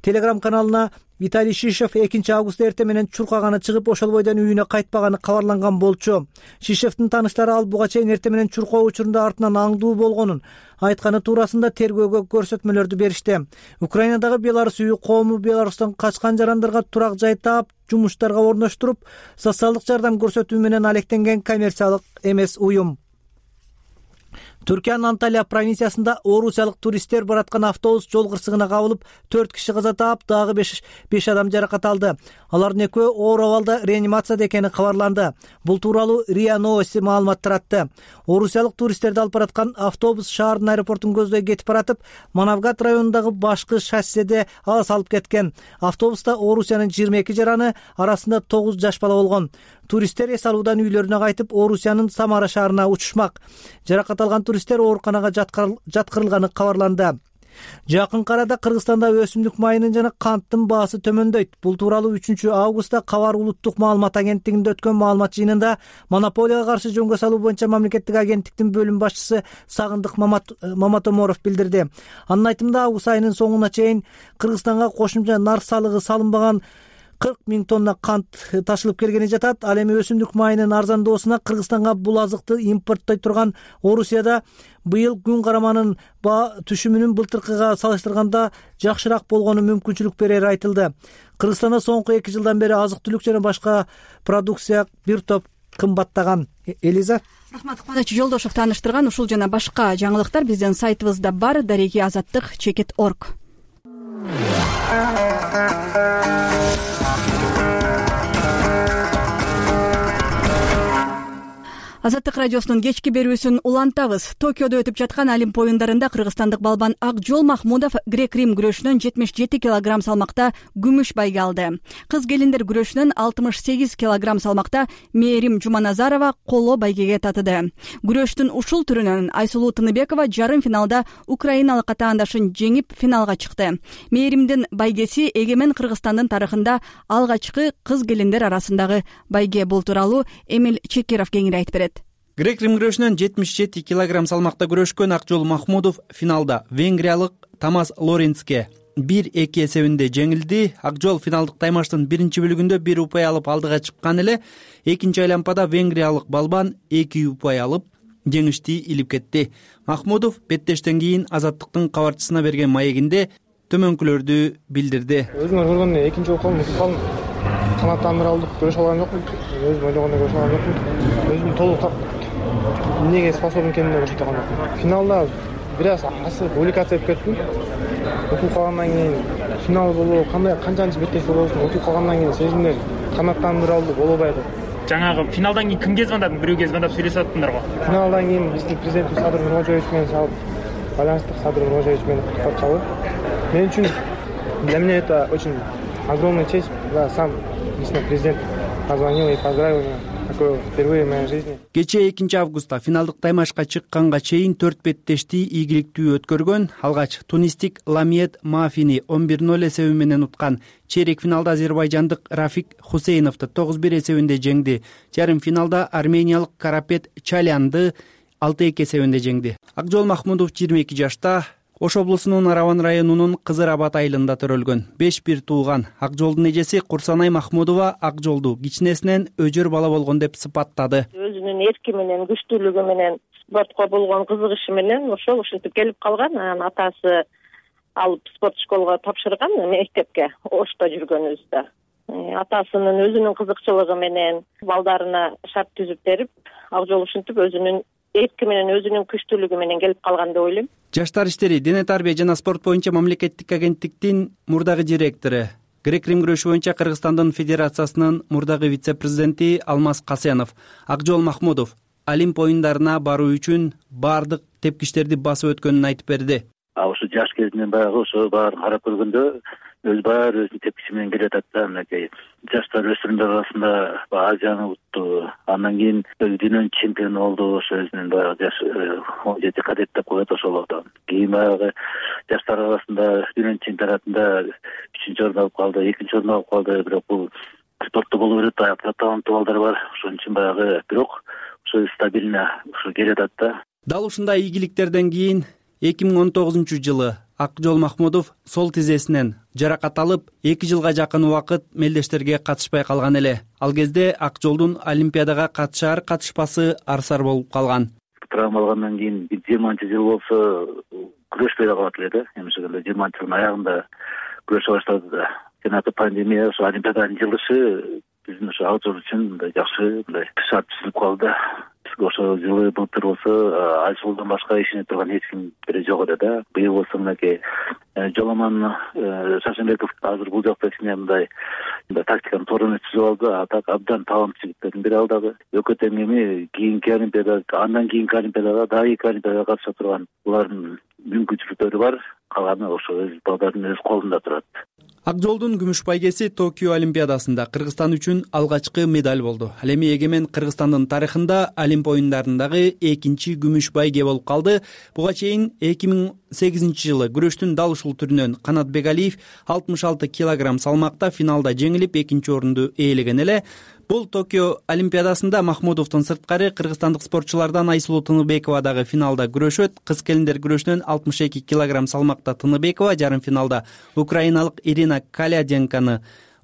Телеграм каналына Виталий Шишев 2-августта эртең менен чуркаганы чыгып, ошол бойдон үйүнө кайтпаганы кабарланган болчу. Шишевдин тааныштары ал буга чейин эртең менен чуркоо учурунда артынан аңдуу болгонун айтканы туурасында тергөөгө көрсөтмөлөрдү беришти. Украинадагы Беларус үйү коому Беларустан качкан жарандарга турак жай таап, жумуштарга орноштуруп, социалдык жардам көрсөтүү менен алектенген коммерциялык эмес уюм. Түркиянын Анталия провинциясында орусиялык туристтер бараткан автобус жол кырсыгына кабылып, 4 киши каза таап, дагы 5 адам жаракат алды. Алардын экөө оор абалда реанимацияда экени кабарланды. Бул тууралуу РИА Новости маалымат таратты. Орусиялык туристтерди алып бараткан автобус шаардын аэропортун көздөй кетип баратып, Манавгат районундагы башкы шосседе алыс алып кеткен. Автобуста Орусиянын 22 жараны, арасында 9 жаш бала болгон. Туристтер эс алуудан үйлөрүнө кайтып, Орусиянын Самара шаарына учушмак. Жаракат алган туристтер ооруканага жаткырылганы кабарланды. Жакынкы арада Кыргызстанда өсүмдүк майынын жана канттын баасы төмөндөйт. Бул тууралуу 3-августта Кабар улуттук маалымат агенттигинде өткөн маалымат жыйынында монополияга каршы жөнгө салуу боюнча мамлекеттик агенттиктин бөлүм башчысы Сагындык Маматоморов билдирди. Анын айтымында август айынын соңуна чейин Кыргызстанга кошумча нарк салыгы салынбаган 40 000 тонна кант ташылып келгени жатат. Ал эми өсүмдүк майынын арзандоосуна Кыргызстанга бул азыкты импорттой турган Орусияда быйыл күн караманын баа түшүмүнүн былтыркыга салыштырганда жакшыраак болгону мүмкүнчүлүк берери айтылды. Кыргызстанда соңку 2 жылдан бери азык-түлүк жана башка продукция бир топ кымбаттаган. Элиза. Рахмат, Кубаныч Жолдошев тааныштырган ушул жана башка жаңылыктар биздин сайтыбызда бар, дареги azаттык.org. Азаттык радиосунун кечки берүүсүн улантабыз. Токиодо өтүп жаткан Олимп оюндарында кыргызстандык балбан Акжол Махмудов грек-рим күрөшүнөн 77 килограмм салмакта күмүш байге алды. Кыз келиндер күрөшүнөн 68 килограмм салмакта Мээрим Жуманазарова коло байгеге татыды. Күрөштүн ушул түрүнөн Айсулуу Тыныбекова жарым финалда украиналык атаандашын жеңип финалга чыкты. Мээримдин байгеси эгемен Кыргызстандын тарыхында алгачкы кыз келиндер арасындагы байге. Бул тууралуу Эмил Чекиров кеңири айтып берет. Грек-рим күрөшүнөн 77 килограмм салмакта күрөшкөн Акжол Махмудов финалда венгриялык Томас Лоренцке 1-2 эсебинде жеңилди. Акжол финалдык таймаштын биринчи бөлүгүндө 1 упай алып алдыга чыккан эле, экинчи айлампада венгриялык балбан 2 упай алып жеңишти илип кетти. Махмудов беттештен кийин Азаттыктын кабарчысына берген маегинде төмөнкүлөрдү билдирди. Өзүңөр көргөндөй экинчи окуум канаттандыралдык көрүшө алган жокмун. Өзүм ойлогондой көрүшө алган жокмун. Өзүм толук эмнеге способен экенине көрсөтө алган жокмун. Финалда бир аз увлекаться этип кеттим. Окуп калгандан кийин финал болобу, канчанчы беттеш болобусун окуп калгандан кийин сезимдер канаттандыралды болобой атат. Жаңагы финалдан кийин кимге звондадың? Бирөөгө звондап сүйлөшүп аттыңдарбы? Финалдан кийин биздин президентибиз Садыр Нурмажоевич менен чалып, байланыштык. Садыр Нурмажоевич менен куттуктап чалып. Мен үчүн для меня это очень огромная честь, да, сам лично президент позвонил и поздравил меня. Такое впервые в моей жизни. Кечээ 2-августта финалдык таймашка чыкканга чейин 4 беттешти ийгиликтүү өткөргөн. Алгач тунистик Ламиет Мафини 11-0 эсеби менен уткан. Чейрек финалда азербайжандык Рафик Хусейновду 9-1 эсебинде жеңди. Жарым финалда армениялык Карапет Чалянды 6-2 эсебинде жеңди. Акжол Махмудов 22 жашта Ош облусунун Араван районунун Кызыр Абад айылында төрөлгөн 5 бир тууган Акжолдун эжеси Курсанай Махмудова Акжолду кичинесинен өжөр бала болгон деп сыпаттады. Өзүнүн эрки менен, күчтүүлүгү менен, спортко болгон кызыгышы менен ушинтип келип калган. Анан атасы алып спорт школго тапшырган, мектепке Ошто жүргөнүбүздө. Атасынын өзүнүн кызыкчылыгы менен балдарына шарт түзүп берип, Акжол ушинтип өзүнүн эрки менен, өзүнүн күчтүүлүгү менен келип калган деп ойлойм. Жаштар иштери, дене тарбия жана спорт боюнча мамлекеттик агенттиктин мурдагы директору, грек-рим күрөшү боюнча Кыргызстандын федерациясынын мурдагы вице-президенти Алмаз Касенов Акжол Махмудов Олимп оюндарына баруу үчүн баардык тепкичтерди басып өткөнүн айтып берди. Ошо жаш кезинен баягы ошо баарын карап көргөндө баары өзүнүн тепкичи менен келе жатат да. Мынакей жаштар өспүрүмдөр арасында Азияны утту, андан кийин дүйнөнүн чемпиону болду. Ошо өзүнүн баягы жаш 17 кадет деп коет ошолордон. Кийин баягы жаштар арасында дүйнөнүн чемпионатында 3-чү орун алып калды, 2-чү орун алып калды. Бирок бул спортто боло берет, аякта таланттуу балдар бар. Ошон үчүн баягы бирок ошо стабильно ошо келе жатат да. Дал ушундай ийгиликтерден кийин 2019-жылы Акжол Махмудов сол тизесинен жаракат алып, 2 жылга жакын убакыт мелдештерге катышпай калган эле. Ал кезде Акжолдун Олимпиадага катышпасы арсар болуп калган. Травма алгандан кийин 20-жыл болсо күрөшпөй калат эле да. Эми ошондо 20-жылдын аягында күрөшө баштады да. Жана пандемия, ошо Олимпиаданын жылышы биздин ошо Акжол үчүн мындай жакшы мындай шарт түзүлүп калды. Ошол жылы былтыр болсо Айсулдан башка ишине турган эч ким жок эле да. Быйыл болсо мынакей Жоламан Шашенбеков азыр бул жакта кичине мындай тактиканын торун түзүп алды. А так абдан таланттуу жигиттердин бири ал дагы. Өкөтөң эми кийинки Олимпиада, андан кийинки Олимпиадага, дагы 2 Олимпиадага катыша турган булардын мүмкүнчүлүктөрү бар. Калганы ошо өз балдардын өз колунда турат. Акжолдун күмүш байгеси Токио Олимпиадасында Кыргызстан үчүн алгачкы медаль болду. Ал эми эгемен Кыргызстандын тарыхында Олимп оюндарындагы 2-чи күмүш байге болуп калды. Буга чейин 2008-жылы күрөштүн дал ушул түрүнөн Канат Бегалиев 66 килограмм салмакта финалда жеңилип 2-чи орунду ээлеген эле. Бул Токио Олимпиадасында Махмудовдун сырткары кыргызстандык спортчулардан Айсулуу Тыныбекова дагы финалда күрөшөт. Кыз келиндер күрөшүнөн 62 килограмм салмакта Тыныбекова жарым финалда украиналык Ирина Каляденканы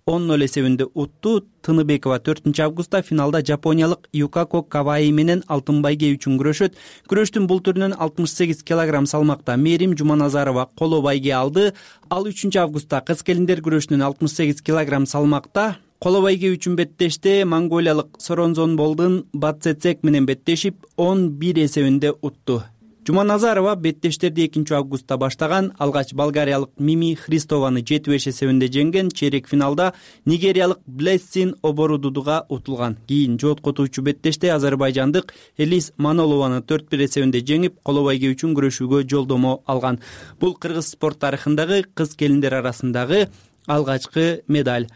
10-0 эсебинде утту. Тыныбекова 4-августта финалда жапониялык Юкако Каваи менен алтын байге үчүн күрөшөт. Күрөштүн бул түрүнөн 68 килограмм салмакта Мерим Жуманазарова коло байге алды. Ал 3-августта кыз келиндер күрөшүнөн 68 килограмм салмакта коло байге үчүн беттеште монголиялык Соронзонболдун Бацецек менен беттешип 11 эсебинде утту. Жуманазарова беттештерди 2-августта баштаган, алгач болгариялык Мими Христованы 7-5 эсебинде жеңген. Чейрек финалда нигериялык Блессин Оборудудуга утулган. Кийин жооткотуучу беттеште азербайжандык Элис Манолованы 4-1 эсебинде жеңип, коло байге үчүн күрөшүүгө жолдомо алган. Бул кыргыз спорт тарыхындагы кыз келиндер арасындагы алгачкы медаль.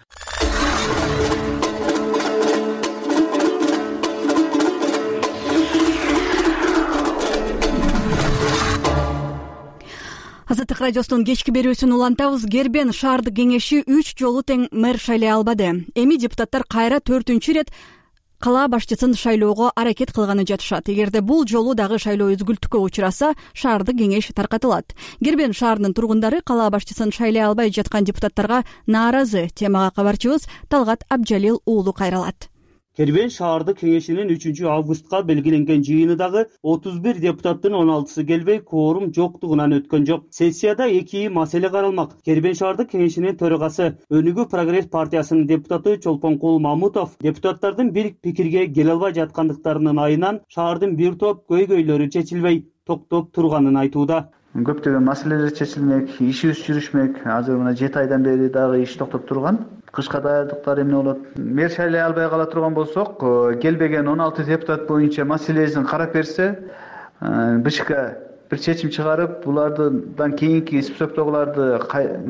Азаттык радиосунун кечки берүүсүн улантабыз. Кербен шаардык кеңеши 3 жолу тең мэр шайлай албады. Эми депутаттар кайра 4-чү ирет кала башчысын шайлоого аракет кылганы жатышат. Эгерде бул жолу дагы шайлоо үзгүлтүккө учураса, шаардык кеңеш таркатылат. Кербен шаарынын тургундары кала башчысын шайлай албай жаткан депутаттарга нааразы. Темага кабарчыбыз Талгат Абджалил уулу кайралат. Кербен шаардык кеңешинин 3-августка белгиленген жыйынындагы 31 депутаттын 16сы келбей, кворум жоктугунан өткөн жок. Сессияда 2 маселе каралмак. Кербен шаардык кеңешинин төрагасы Өнүгүү прогресс партиясынын депутаты Чолпонкул Мамутов депутаттардын бир пикирге келе албай жаткандыктарынын айынан шаардын бир топ көйгөйлөрү чечилбей токтоп турганын айтууда. Көптөгөн маселелер чечилмек, ишибиз жүрүшмөк. Азыр мына 7 айдан бери дагы иш токтоп турган. Кышка даярдыктар эмне болот? Мэр шайлай албай кала турган болсок, келбеген 16 депутат боюнча маселесин карап берсе, БШК бир чечим чыгарып, булардан кийинки списоктогуларды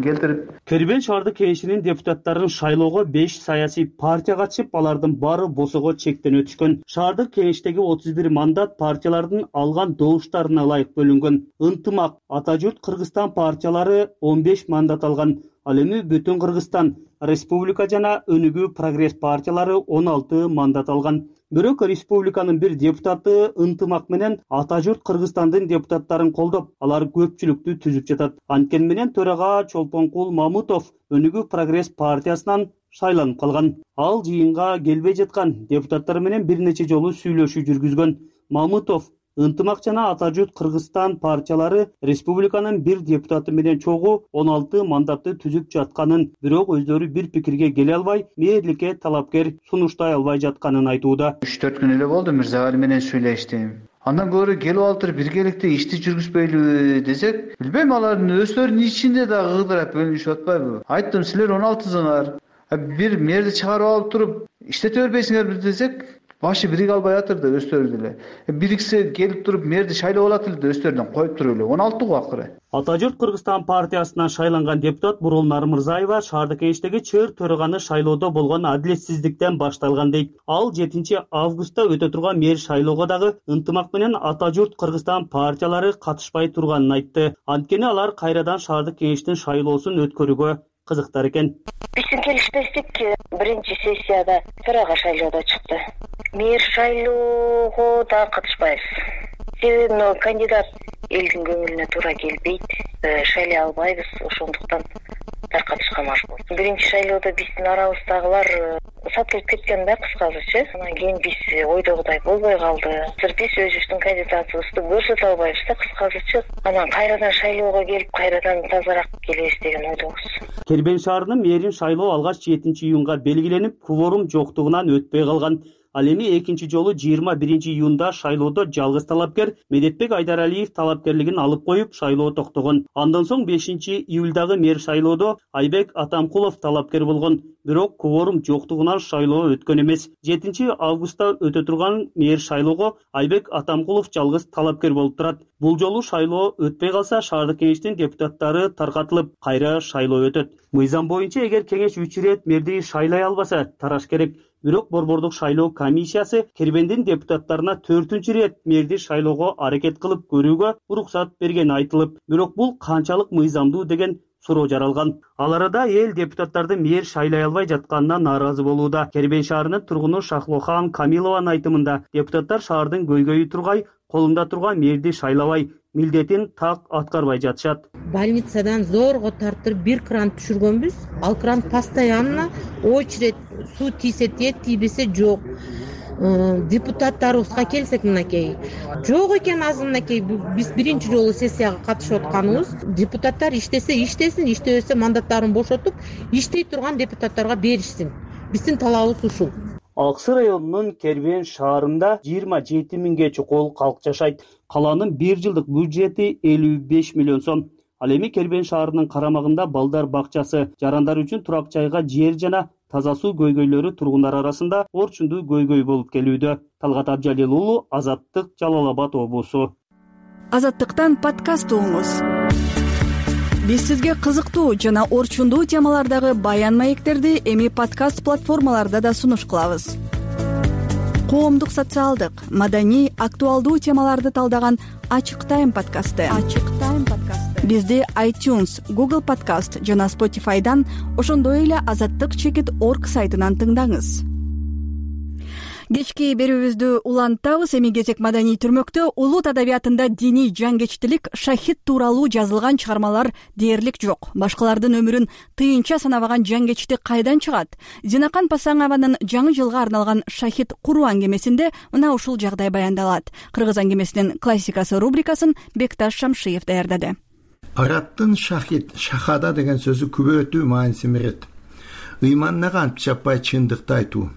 келтирип. Кербен шаардык кеңешинин депутаттарын шайлоого 5 саясий партия катышып, алардын баары босого чектен өтүшкөн. Шаардык кеңештеги 31 мандат партиялардын алган добуштарына ылайык бөлүнгөн. Ынтымак, Ата журт Кыргызстан партиялары 15 мандат алган. Ал эми Бүтүн Кыргызстан, Республика жана Өнүгүү прогресс партиялары 16 мандат алган. Бирок республиканын бир депутаты ынтымак менен ата журт Кыргызстандын депутаттарын колдоп, алар көпчүлүктү түзүп жатат. Анткени менен төрага Чолпонкул Мамутов Өнүгүү Прогресс партиясынан шайланып калган. Ал жыйынга келбей жаткан депутаттар менен бир нече жолу сүйлөшүү жүргүзгөн. Мамутов ынтымак жана ата журт Кыргызстан партиялары республиканын бир депутаты менен чогуу 16 мандатты түзүп жатканын, бирок өздөрү бир пикирге келе албай, мэрликке талапкер сунуштай албай жатканын айтууда. 3-4 күн эле болду Мырзагали менен сүйлөштүм. Андан көрө келип алыптыр, биргеликте ишти жүргүзбөйлүбү десек, билбейм, алардын өздөрүнүн ичинде дагы кыдырап бөлүнүшүп атпайбы? Айттым, силер 16-сыңар. Бир мэрди чыгарып алып туруп, иштете бербейсиңерби десек, башы бириге албай атыр да өздөрү деле. Бириксе келип туруп мэрди шайлап алат эле да өздөрүнөн коюп туруп эле. 16 го акыры. Ата журт Кыргызстан партиясынан шайланган депутат Бурулнар Мырзаева шаардык кеңештеги чыр төраганы шайлоодо болгон адилетсиздиктен башталган дейт. Ал 7 августта өтө турган мэр шайлоого дагы ынтымак менен Ата журт Кыргызстан партиялары катышпай турганын айтты. Анткени алар кайрадан шаардык кеңештин шайлоосун өткөрүүгө кызыктар экен. Биздин келиштестик биринчи сессияда төрага шайлоодо чыкты. Мэр шайлоого да катышпайбыз. Себеби кандидат элдин көңүлүнө туура келбейт, шайлай албайбыз, ошондуктан таркатышка мажбур. Биринчи шайлоодо биздин арабыздагылар сатылып кеткен да, кыскасычы. Анан кийин биз ойдогудай болбой калды. Биз өзүбүздүн кандидатыбызды көрсөтө албайбыз да, кыскасычы. Анан кайрадан шайлоого келип, кайрадан тазараак келебиз деген ойдобуз. Кербен шаарынын мэрин шайлоо алгач 7 июнга белгиленип, кворум жоктугунан өтпөй калган. Ал эми экинчи жолу 21 июнда шайлоодо жалгыз талапкер Медетбек Айдаралиев талапкерлигин алып коюп, шайлоо токтогон. Андан соң 5 июлдагы мэр шайлоодо Айбек Атамкулов талапкер болгон. Бирок кворум жоктугунан шайлоо өткөн эмес. 7 августта өтө турган мэр шайлоого Айбек Атамкулов жалгыз талапкер болуп турат. Бул жолу шайлоо өтпөй калса, шаардык кеңештин депутаттары таркатылып, кайра шайлоо өтөт. Мыйзам боюнча эгер кеңеш 3 ирет мэрди шайлай албаса, тараш керек. Бирок борбордук шайлоо комиссиясы Кербендин депутаттарына 4-чү ирет мэрди шайлоого аракет кылып көрүүгө уруксат бергени айтылып, бирок бул канчалык мыйзамдуу деген суроо жаралган. Ал арада эл депутаттарды мэр шайлай албай жатканына нааразы болууда. Кербен шаарынын тургуну Шахлохан Камилованын айтымында, депутаттар шаардын көйгөйү тургай, колунда турган мэрди шайлабай, милдетин так аткарбай жатышат. Больницадан зорго тартырып бир кран түшүргөнбүз. Ал кран постоянно очередь, суу тийсе тиет, тийбесе жок. Депутаттарыбызга келсек, мынакей жок экен азырынакей. Биз биринчи жолу сессияга катышып атканыбыз. Депутаттар иштесе иштесин, иштебесе мандаттарын бошотуп, иштей турган депутаттарга беришсин. Биздин талабыбыз ушул. Аксы районунун Кербен шаарында 27 миңге чукул калк жашайт. Каланын 1 жылдык бюджети 55 миллион сом. Ал эми Кербен шаарынын карамагында балдар бакчасы, жарандар үчүн турак жайга жер жана таза суу көйгөйлөрү тургундар арасында орчундуу көйгөй болуп келүүдө. Талгат Абжалил уулу, Азаттык, Жалал Абад облусу. Азаттыктан подкаст угуңуз. Биз сизге кызыктуу жана орчундуу темалардагы баян маектерди эми подкаст платформаларда да сунуш кылабыз. Коомдук, социалдык, маданий, актуалдуу темаларды талдаган Ачык Тайм подкасты. Бизди iTunes, Google Podcast жана Spotify'дан, ошондой эле azattik.org сайтынан тыңдаңыз. Кечки берүүбүздү улантабыз. Эми кезек маданий түрмөктө улут адабиятында диний жангечтилик, шахид тууралуу жазылган чыгармалар дээрлик жок. Башкалардын өмүрүн тыйынча санабаган жангечти кайдан чыгат? Зинакан Пасаңованын жаңы жылга арналган Шахид куруу аңгемесинде мына ушул жагдай баяндалат. Кыргыз аңгемесинин классикасы рубрикасын Бекташ Шамшиев даярдады. Арабтын шахид, шахада деген сөзү күбөтүү мааниси берет. Ыйманына кантип чаппай чындыкты айтуу.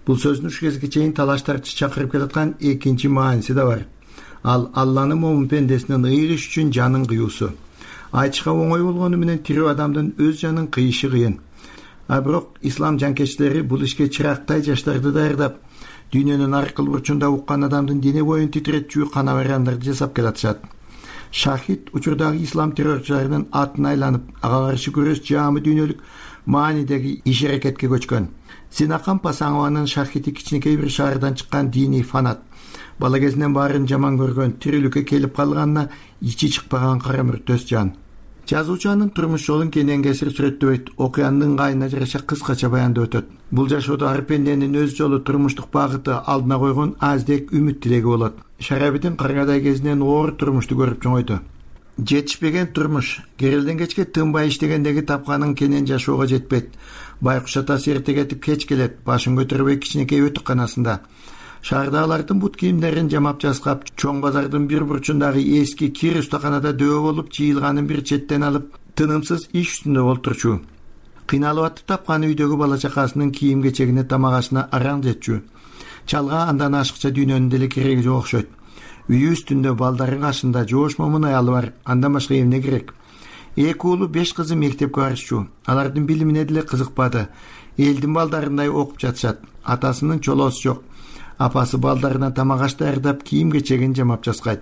Бул сөздүн ушу кезге чейин талаштарчы чакырып келаткан экинчи мааниси да бар. Ал Алланын момун пендесинин ыйрыш үчүн жанын кыюусу. Айтышка оңой болгону менен тирүү адамдын өз жанын кыйышы кыйын. А бирок ислам жанкечтилери бул ишке чырактай жаштарды даярдап, дүйнөнүн ар кыл бурчунда уккан адамдын дене боюн титиретчүү канабарандарды жасап келатышат. Шахид учурдагы ислам террорчуларынын атын айланып, ага каршы күрөш жаамы дүйнөлүк маанидеги иш аракетке көчкөн. Зинакан Пасаңованын Шахиди кичинекей бир шаардан чыккан диний фанат. Бала кезинен баарын жаман көргөн, тирүүлүккө келип калганына ичи чыкпаган кара мүртөс жан. Жазуучунун турмуш жолун кенен кесир сүрөттөбөйт, окуянын ыңгайына жараша кыскача баяндап өтөт. Бул жашоодо ар пенденин өз жолу, турмуштук багыты, алдына койгон аздек үмүт тилеги болот. Шарабидин каргадай кезинен оор турмушту көрүп чоңойду. Жетишпеген турмуш, керелден кечке тынбай иштегендеги тапканын кенен жашоого жетпейт. Байкуш атасы эрте кетип кеч келет, башын көтөрбөй кичинекей өтүкканасында. Шаардагылардын бут кийимдерин жамап жаскап, чоң базардын бир бурчундагы эски кир устаканада дөбө болуп жыйылганын бир четтен алып, тынымсыз иш үстүндө олтурчу. Кыйналып атып тапкан үйдөгү бала чакасынын кийим кечегине, тамак-ашына араң жетчү. Чалга андан ашыкча дүйнөнүн деле кереги жок окшойт. Үйү үстүндө балдарын кашында жоош момун аялы бар, андан башка эмне керек? 2 уулу 5 кызы мектепке барышчу. Алардын билимине деле кызыкпады. Элдин балдарындай окуп жатышат. Атасынын чолоосу жок. Апасы балдарына тамак-аш даярдап, кийим кечегин жамап жаскайт.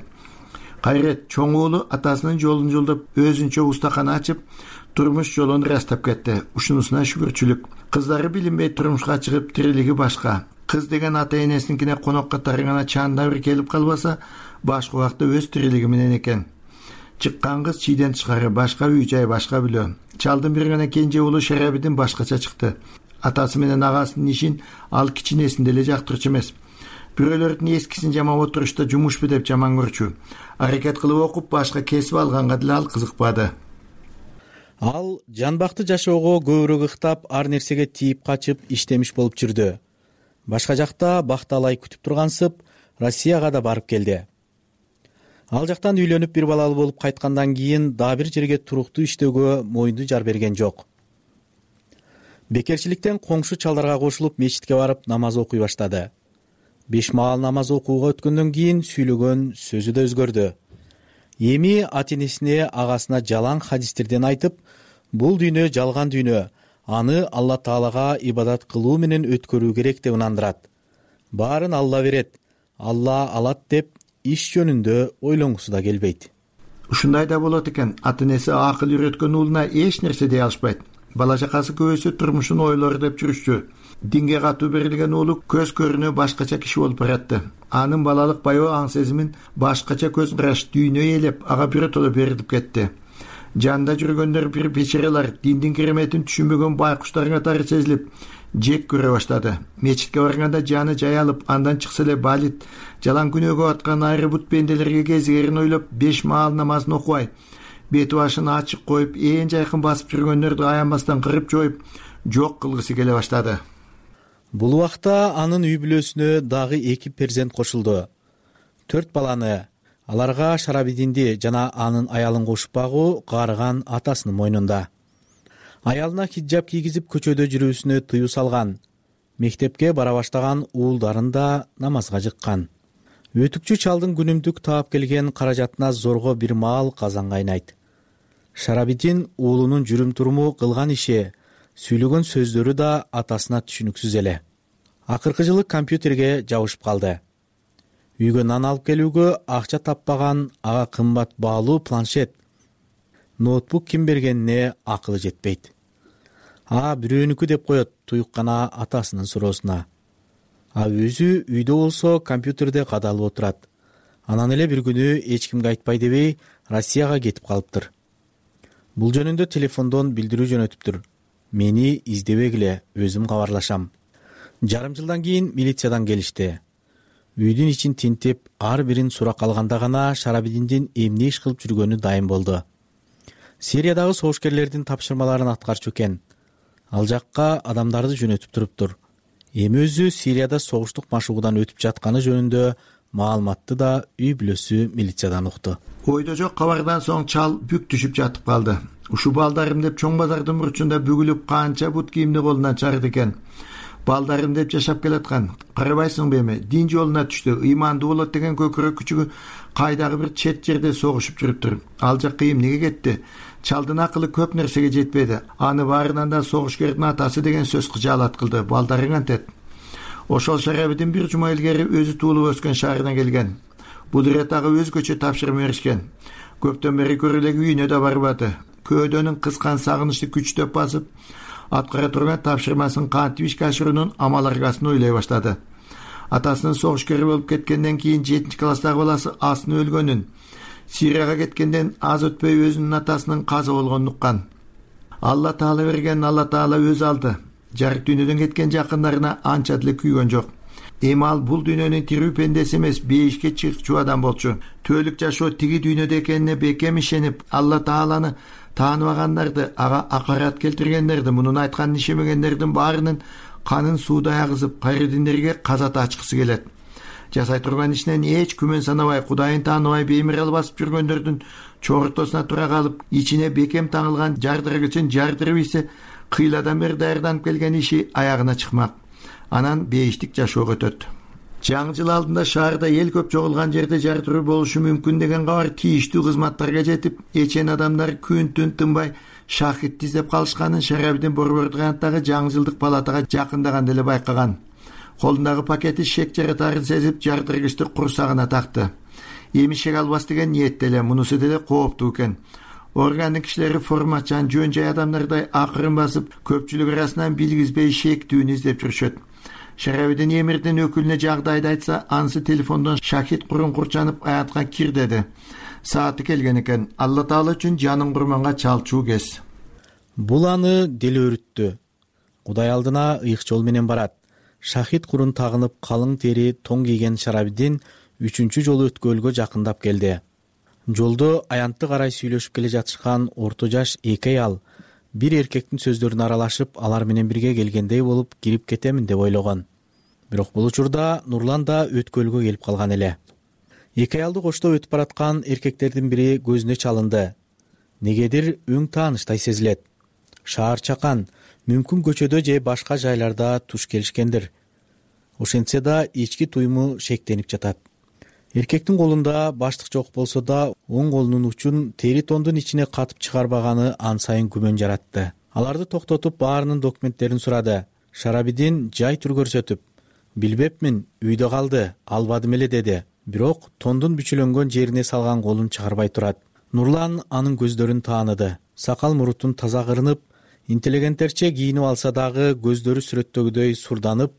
Кайрет чоң уулу атасынын жолун жолдоп, өзүнчө устакана ачып, турмуш жолун ырастап кетти. Ушунусуна шүгүрчүлүк. Кыздары билинбей турмушка чыгып, тирилиги башка. Кыз деген ата энесиникине конокко тарыгана чаанда бир келип калбаса, башка убакта өз тирилиги менен экен. Чыккан кыз чийден тышкары, башка үй жай, башка бүлө. Чалдын бир гана кенже уулу Шарабидин башкача чыкты. Атасы менен агасынын ишин ал кичинесин деле жактырчу эмес. Бирөөлөрдүн эскисин жамап отурушта жумушпу деп жаман көрчү. Аракет кылып окуп, башка кесип алганга деле ал кызыкпады. Ал жанбактуу жашоого көбүрөөк ыктап, ар нерсеге тийип качып, иштемиш болуп жүрдү. Башка жакта бакталай күтүп тургансып, Россияга да барып келди. Ал жактан үйлөнүп бир балалуу болуп кайткандан кийин дагы бир жерге туруктуу иштөөгө моюнду жар берген жок. Бекерчиликтен коңшу чалдарга кошулуп мечитке барып намаз окуй баштады. 5 маал намаз окууга өткөндөн кийин сүйлөгөн сөзү да өзгөрдү. Эми ата-энесине, агасына жалаң хадистерден айтып, бул дүйнө жалган дүйнө, аны Алла Таалага ибадат кылуу менен өткөрүү керек деп ынандырат. Баарын Алла берет, Алла алат деп иш жөнүндө ойлонгусу да келбейт. Ушундай да болот экен. Ата-энеси акыл үйрөткөн уулуна эч нерсе дей алышпайт. Бала чакасы көбүсү турмушун ойлор деп жүрүшчү. Динге катуу берилген уулу көз көрүнө башкача киши болуп баратты. Анын балалык баягы аң сезимин башкача көз караш, дүйнө ээлеп, ага биротоло берилип кетти. Жанда жүргөндөр бир печерелер, диндин кереметин түшүнбөгөн байкуштардын катары сезилип, жек көрө баштады. Мечитке барганда жаны жай алып, андан чыкса эле балит, жалаң күнөөгө аткан айры бут пенделерге кезигерин ойлоп, 5 маал намазын окубай, бети башын ачык коюп, ээн жайкын басып жүргөндөрдү аянбастан кырып жоюп, жок кылгысы келе баштады. Бул убакта анын үй бүлөсүнө дагы 2 перзент кошулду. 4 баланы, аларга Шарабидинди жана анын аялын кошуп багуу каарыган атасынын мойнунда. Аялына хиджаб кийгизип көчөдө жүрүүсүнө тыюу салган. Мектепке бара баштаган уулдарын да намазга жыккан. Өтүкчү чалдын күнүмдүк таап келген каражатына зорго бир маал казан кайнайт. Шарабидин уулунун жүрүм туруму, кылган иши, сүйлөгөн сөздөрү да атасына түшүнүксүз эле. Акыркы жылы компьютерге жабышып калды. Үйгө нан алып келүүгө акча таппаган, ага кымбат баалуу планшет, ноутбук ким бергенине акылы жетпейт. Бирөөнүкү деп коет туюккана атасынын суроосуна. Өзү үйдө болсо компьютерде кадалып отурат. Анан эле бир күнү эч кимге айтпай дебей Россияга кетип калыптыр. Бул жөнүндө телефондон билдирүү жөнөтүптүр. Мени издебегиле, өзүм кабарлашам. Жарым жылдан кийин милициядан келишти. Үйдүн ичин тинтип, ар бирин сурак алганда гана Шарабидиндин эмне иш кылып жүргөнү дайым болду. Сириядагы согушкерлердин тапшырмаларын аткарчу экен. Ал жакка адамдарды жөнөтүп туруптур. Эми өзү Сирияда согуштук машыгуудан өтүп жатканы жөнүндө маалыматты да үй бүлөсү милициядан укту. Ойдо жок кабардан соң чал бүк түшүп жатып калды. Ушу балдарым деп чоң базардын бурчунда бүгүлүп канча бут кийимди колунан чыгарды экен. Балдарым деп жашап келаткан. Карабайсыңбы эми? Дин жолуна түштү. Ыймандуу болот деген көкүрөк күчүгү кайдагы бир чет жерде согушуп жүрүптүр. Ал жакка эмнеге кетти? Чалдын акылы көп нерсеге жетпеди. Аны баарынан да согушкердин атасы деген сөз кыжаалат кылды. Балдарың антет. Ошол Шарабидин бир жума илгери өзү туулуп өскөн шаарына келген. Бул ирет ага өзгөчө тапшырма беришкен. Көптөн бери көрүлеги үйүнө да барбады. Көөдөнүн кыскан сагынычты күчтөп басып, аткара турган тапшырмасын кантип ишке ашыруунун амал аргасын ойлой баштады. Атасынын согушкери болуп кеткенден кийин 7-класстагы баласы Асын өлгөнүн, Сирияга кеткенден аз өтпөй өзүнүн атасынын каза болгонун уккан. Алла Таала берген, Алла Таала өзү алды. Жарык дүйнөдөн кеткен жакындарына анча деле күйгөн жок. Эми ал бул дүйнөнүн тирүү пендеси эмес, бейишке чыкчу адам болчу. Түбөлүк жашоо тиги дүйнөдө экенине бекем ишенип, Алла Тааланы тааныбагандарды, ага акарат келтиргендерди, мунун айтканын ишемегендердин баарынын канын суудай агызып, кайрыдиндерге казат ачкысы келет. Жасай турган ишинен эч күмөн санабай, Кудайын тааныбай беймирал басып жүргөндөрдүн чогуртосуна тура калып, ичине бекем таңылган жардыргычын жардырып ийсе, кыйладан бери даярданып келген иши аягына чыкмак. Анан бейиштик жашоого өтөт. Жаңы жыл алдында шаарда эл көп чогулган жерде жардыруу болушу мүмкүн деген кабар тийиштүү кызматтарга жетип, эчен адамдар күн-түн тынбай шахидти издеп калышканын Шарабидин Борбордугандагы жаңы жылдык палатага жакындаганда эле байкаган. Колундагы пакети шек жаратарын сезип, жардыргычты курсагына такты. Эми шек албас деген ниетте эле, мунусу деле кооптуу экен. Органдын кишилери формачан, жөн жай адамдардай акырын басып, көпчүлүк арасынан билгизбей шектүүнү издеп жүрүшөт. Шарабидин эмирдин өкүлүнө жагдайды айтса, анысы телефондон Шахид курун курчанып аятка кир деди. Сааты келген экен. Алла Таала үчүн жанын курманга чалчуу кез. Бул аны деле өрүттү. Кудай алдына ыйык жол менен барат. Шахид курун тагынып калың тери тоң кийген Шарабидин 3-чү жолу өткөлгө жакындап келди. Жолдо аянтты карай сүйлөшүп келе жатышкан орто жаш эки аял бир эркектин сөздөрүнө аралашып, алар менен бирге келгендей болуп кирип кетемин деп ойлогон. Бирок бул учурда Нурлан да өткөлгө келип калган эле. Эки аялды коштоп өтүп бараткан эркектердин бири көзүнө чалынды. Негедир өң тааныштай сезилет. Шаар чакан, мүмкүн көчөдө же башка жайларда туш келишкендир. Ошентсе да ички туйму шектенип жатат. Эркектин колунда баштык жок болсо да, оң колунун учун тери тондун ичине катып чыгарбаганы ан сайын күмөн жаратты. Аларды токтотуп, баарынын документтерин сурады. Шарабидин жай тур көрсөтүп, билбепмин, үйдө калды, албадым эле деди. Бирок тондун бүчүлөнгөн жерине салган колун чыгарбай турат. Нурлан анын көздөрүн тааныды. Сакал мурутун таза кырынып, интеллигенттерче кийинип алса дагы көздөрү сүрөттөгүдөй сурданып,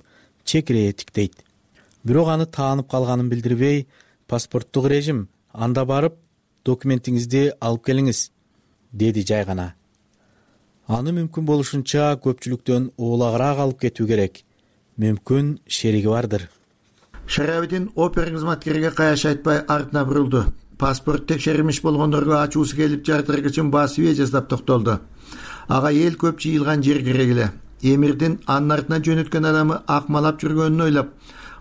чекирее тиктейт. Бирок аны таанып калганын билдирбей, паспорттук режим, анда барып, документиңизди алып келиңиз, деди жай гана. Аны мүмкүн болушунча көпчүлүктөн оолагыраак алып кетүү керек. Мүмкүн шериги бардыр. Шарабидин опера кызматкериге каяш айтпай артына бурулду. Паспорт текшерилмиш болгондорго ачуусу келип жардыргычын басып жасап токтолду. Ага эл көп жыйылган жер керек эле. Эмирдин анын артынан жөнөткөн адамы акмалап жүргөнүн ойлоп,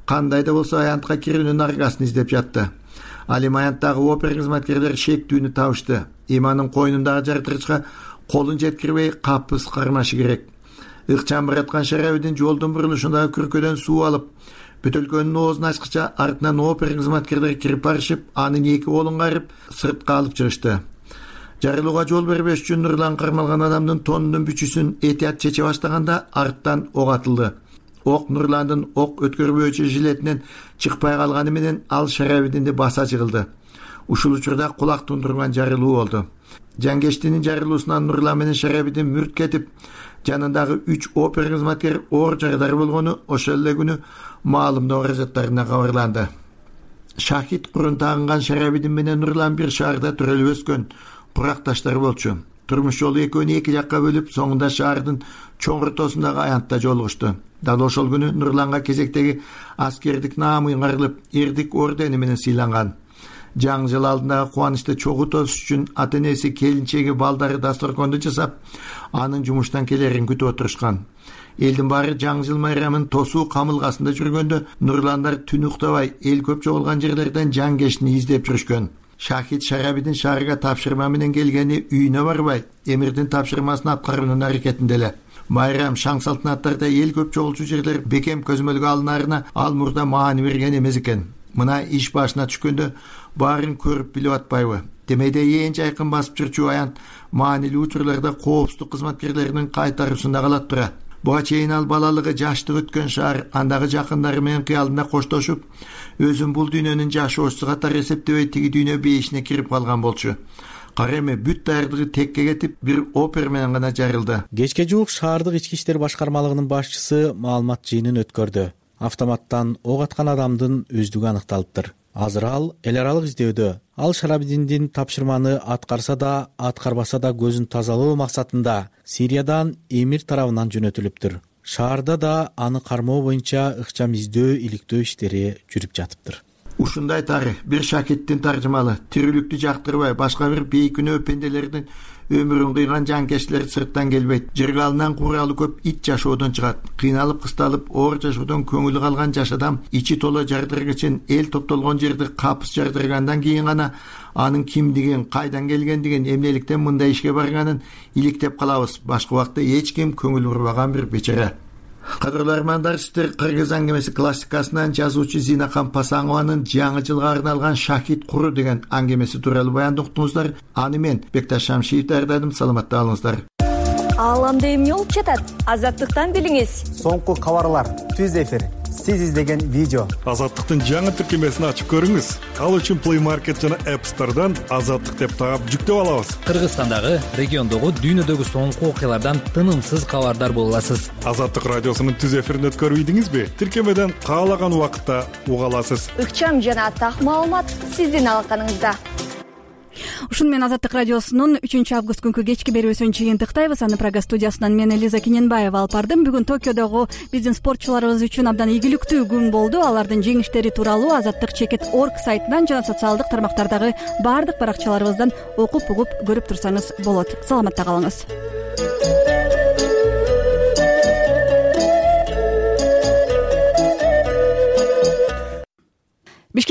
кандай да болсо аянтка кирүүнүн аргасын издеп жатты. Ал эми аянттагы опера кызматкерлери шектүүнү табышты. Иманын койнундагы жардыргычка колун жеткирбей капыс кармашы керек. Ыкчам бараткан Шарабидин жолдун бурулушундагы күркөдөн суу алып, бөтөлкөнүн оозун ачкыча артынан опера кызматкерлери кирип барышып, анын эки колун карып, сыртка алып чыгышты. Жарылууга жол бербеш үчүн Нурлан кармалган адамдын тонунун бүчүсүн этият чече баштаганда арттан ок атылды. Ок Нурландын ок өткөрбөөчү жилетинен чыкпай калганы менен ал Шарабидинди баса жыгылды. Ушул учурда кулак тундурган жарылуу болду. Жангештинин жарылуусунан Нурлан менен Шарабидин мүрт кетип, жанындагы 3 опера кызматкер оор жагдар болгону ошол эле күнү маалымдоо каражаттарына кабарланды. Шахид курун тагынган Шарабидин менен Нурлан бир шаарда төрөлүп өскөн куракташтар болчу. Турмуш жолу экөөнү эки жакка бөлүп, соңунда шаардын чоң ортосундагы аянтта жолугушту. Дал ошол күнү Нурланга кезектеги аскердик наамы ыңгарылып, эрдик ордени менен сыйланган. Жаңы жыл алдындагы кубанычты чогуу тосуш үчүн ата-энеси, келинчеги, балдары дасторконду жасап, анын жумуштан келерин күтүп отурушкан. Элдин баары жаңы жыл майрамын тосуу камылгасында жүргөндө, Нурландар түн уктабай эл көп чогулган жерлерден Жангешни издеп жүрүшкөн. Шахид Шарабидин шаарга тапшырма менен келгени үйүнө барбай, эмирдин тапшырмасын аткаруунун аракетинде эле. Майрам, шаң салтанаттарда эл көп чогулчу жерлер бекем көзөмөлгө алынаарына ал мурда маани берген эмес экен. Мына иш башына түшкөндө баарын көрүп билип атпайбы? Демейде эң жайкын басып жүрчү аянт маанилүү учурларда коопсуздук кызматкерлеринин кайтаруусунда калат тура. Буга чейин ал балалыгы жаштык өткөн шаар, андагы жакындары менен кыялында коштошуп, өзүн бул дүйнөнүн жашоочусу катары эсептебей тиги дүйнө бейишине кирип калган болчу. Кара эми бүт даярдыгы текке кетип, бир опера менен гана жарылды. Кечке жуук шаардык ички иштер башкармалыгынын башчысы маалымат жыйынын өткөрдү. Автоматтан ок аткан адамдын өздүгү аныкталыптыр. азыр ал эл аралык издөөдө. Ал Шарабидиндин тапшырманы аткарса да, аткарбаса да көзүн тазалоо максатында Сириядан эмир тарабынан жөнөтүлүптүр. Шаарда да аны кармоо боюнча ыкчам издөө, иликтөө иштери жүрүп жатыптыр. Ушундай тары бир шакирттин таржымалы тирүүлүктү жактырбай башка бир бейкүнөө пенделердин өмүрүн кыйган жанкечтилер сырттан келбейт. Жыргалынан куралы көп ит жашоодон чыгат. Кыйналып кысталып оор жашоодон көңүлү калган жаш адам ичи толо жардыргычын эл топтолгон жерди капыс жардыргандан кийин гана анын кимдигин, кайдан келгендигин, эмнеликтен мындай ишке барганын иликтеп калабыз. Башка убакта эч ким көңүл бурбаган бир бечара. Кадырлуу армандар, сиздер Кыргыз аңгемеси классикасынан жазуучу Зинакан Пасаңованын жаңы жылга арналган Шахид куру деген аңгемеси тууралуу баянды уктуңуздар. Аны мен Бекташ Шамшиев даярдадым. Саламатта калыңыздар. Ааламда эмне болуп жатат? Азаттыктан билиңиз. Соңку кабарлар, түз эфир, сиз издеген видео. Азаттыктын жаңы тиркемесин ачып көрүңүз. Ал үчүн Play Market жана App Store'дан Азаттык деп таап жүктөп алабыз. Кыргызстандагы, региондогу, дүйнөдөгү соңку окуялардан тынымсыз кабардар боло аласыз. Азаттык радиосунун түз эфирин өткөрүп ийдиңизби? Тиркемеден каалаган убакытта уга аласыз. Ыкчам жана так маалымат сиздин алаканыңызда. Ушуну менен Азаттык радиосунун 3-август күнкү кечки берүүсүн жыйынтыктайбыз. Аны Прага студиясынан мен Элиза Киненбаева алып бардым. Бүгүн Токиодогу биздин спортчуларыбыз үчүн абдан ийгиликтүү күн болду. Алардын жеңиштери тууралуу Азаттык.org сайтынан жана социалдык тармактардагы баардык баракчаларыбыздан окуп угуп көрүп турсаңыз болот. Саламатта калыңыз.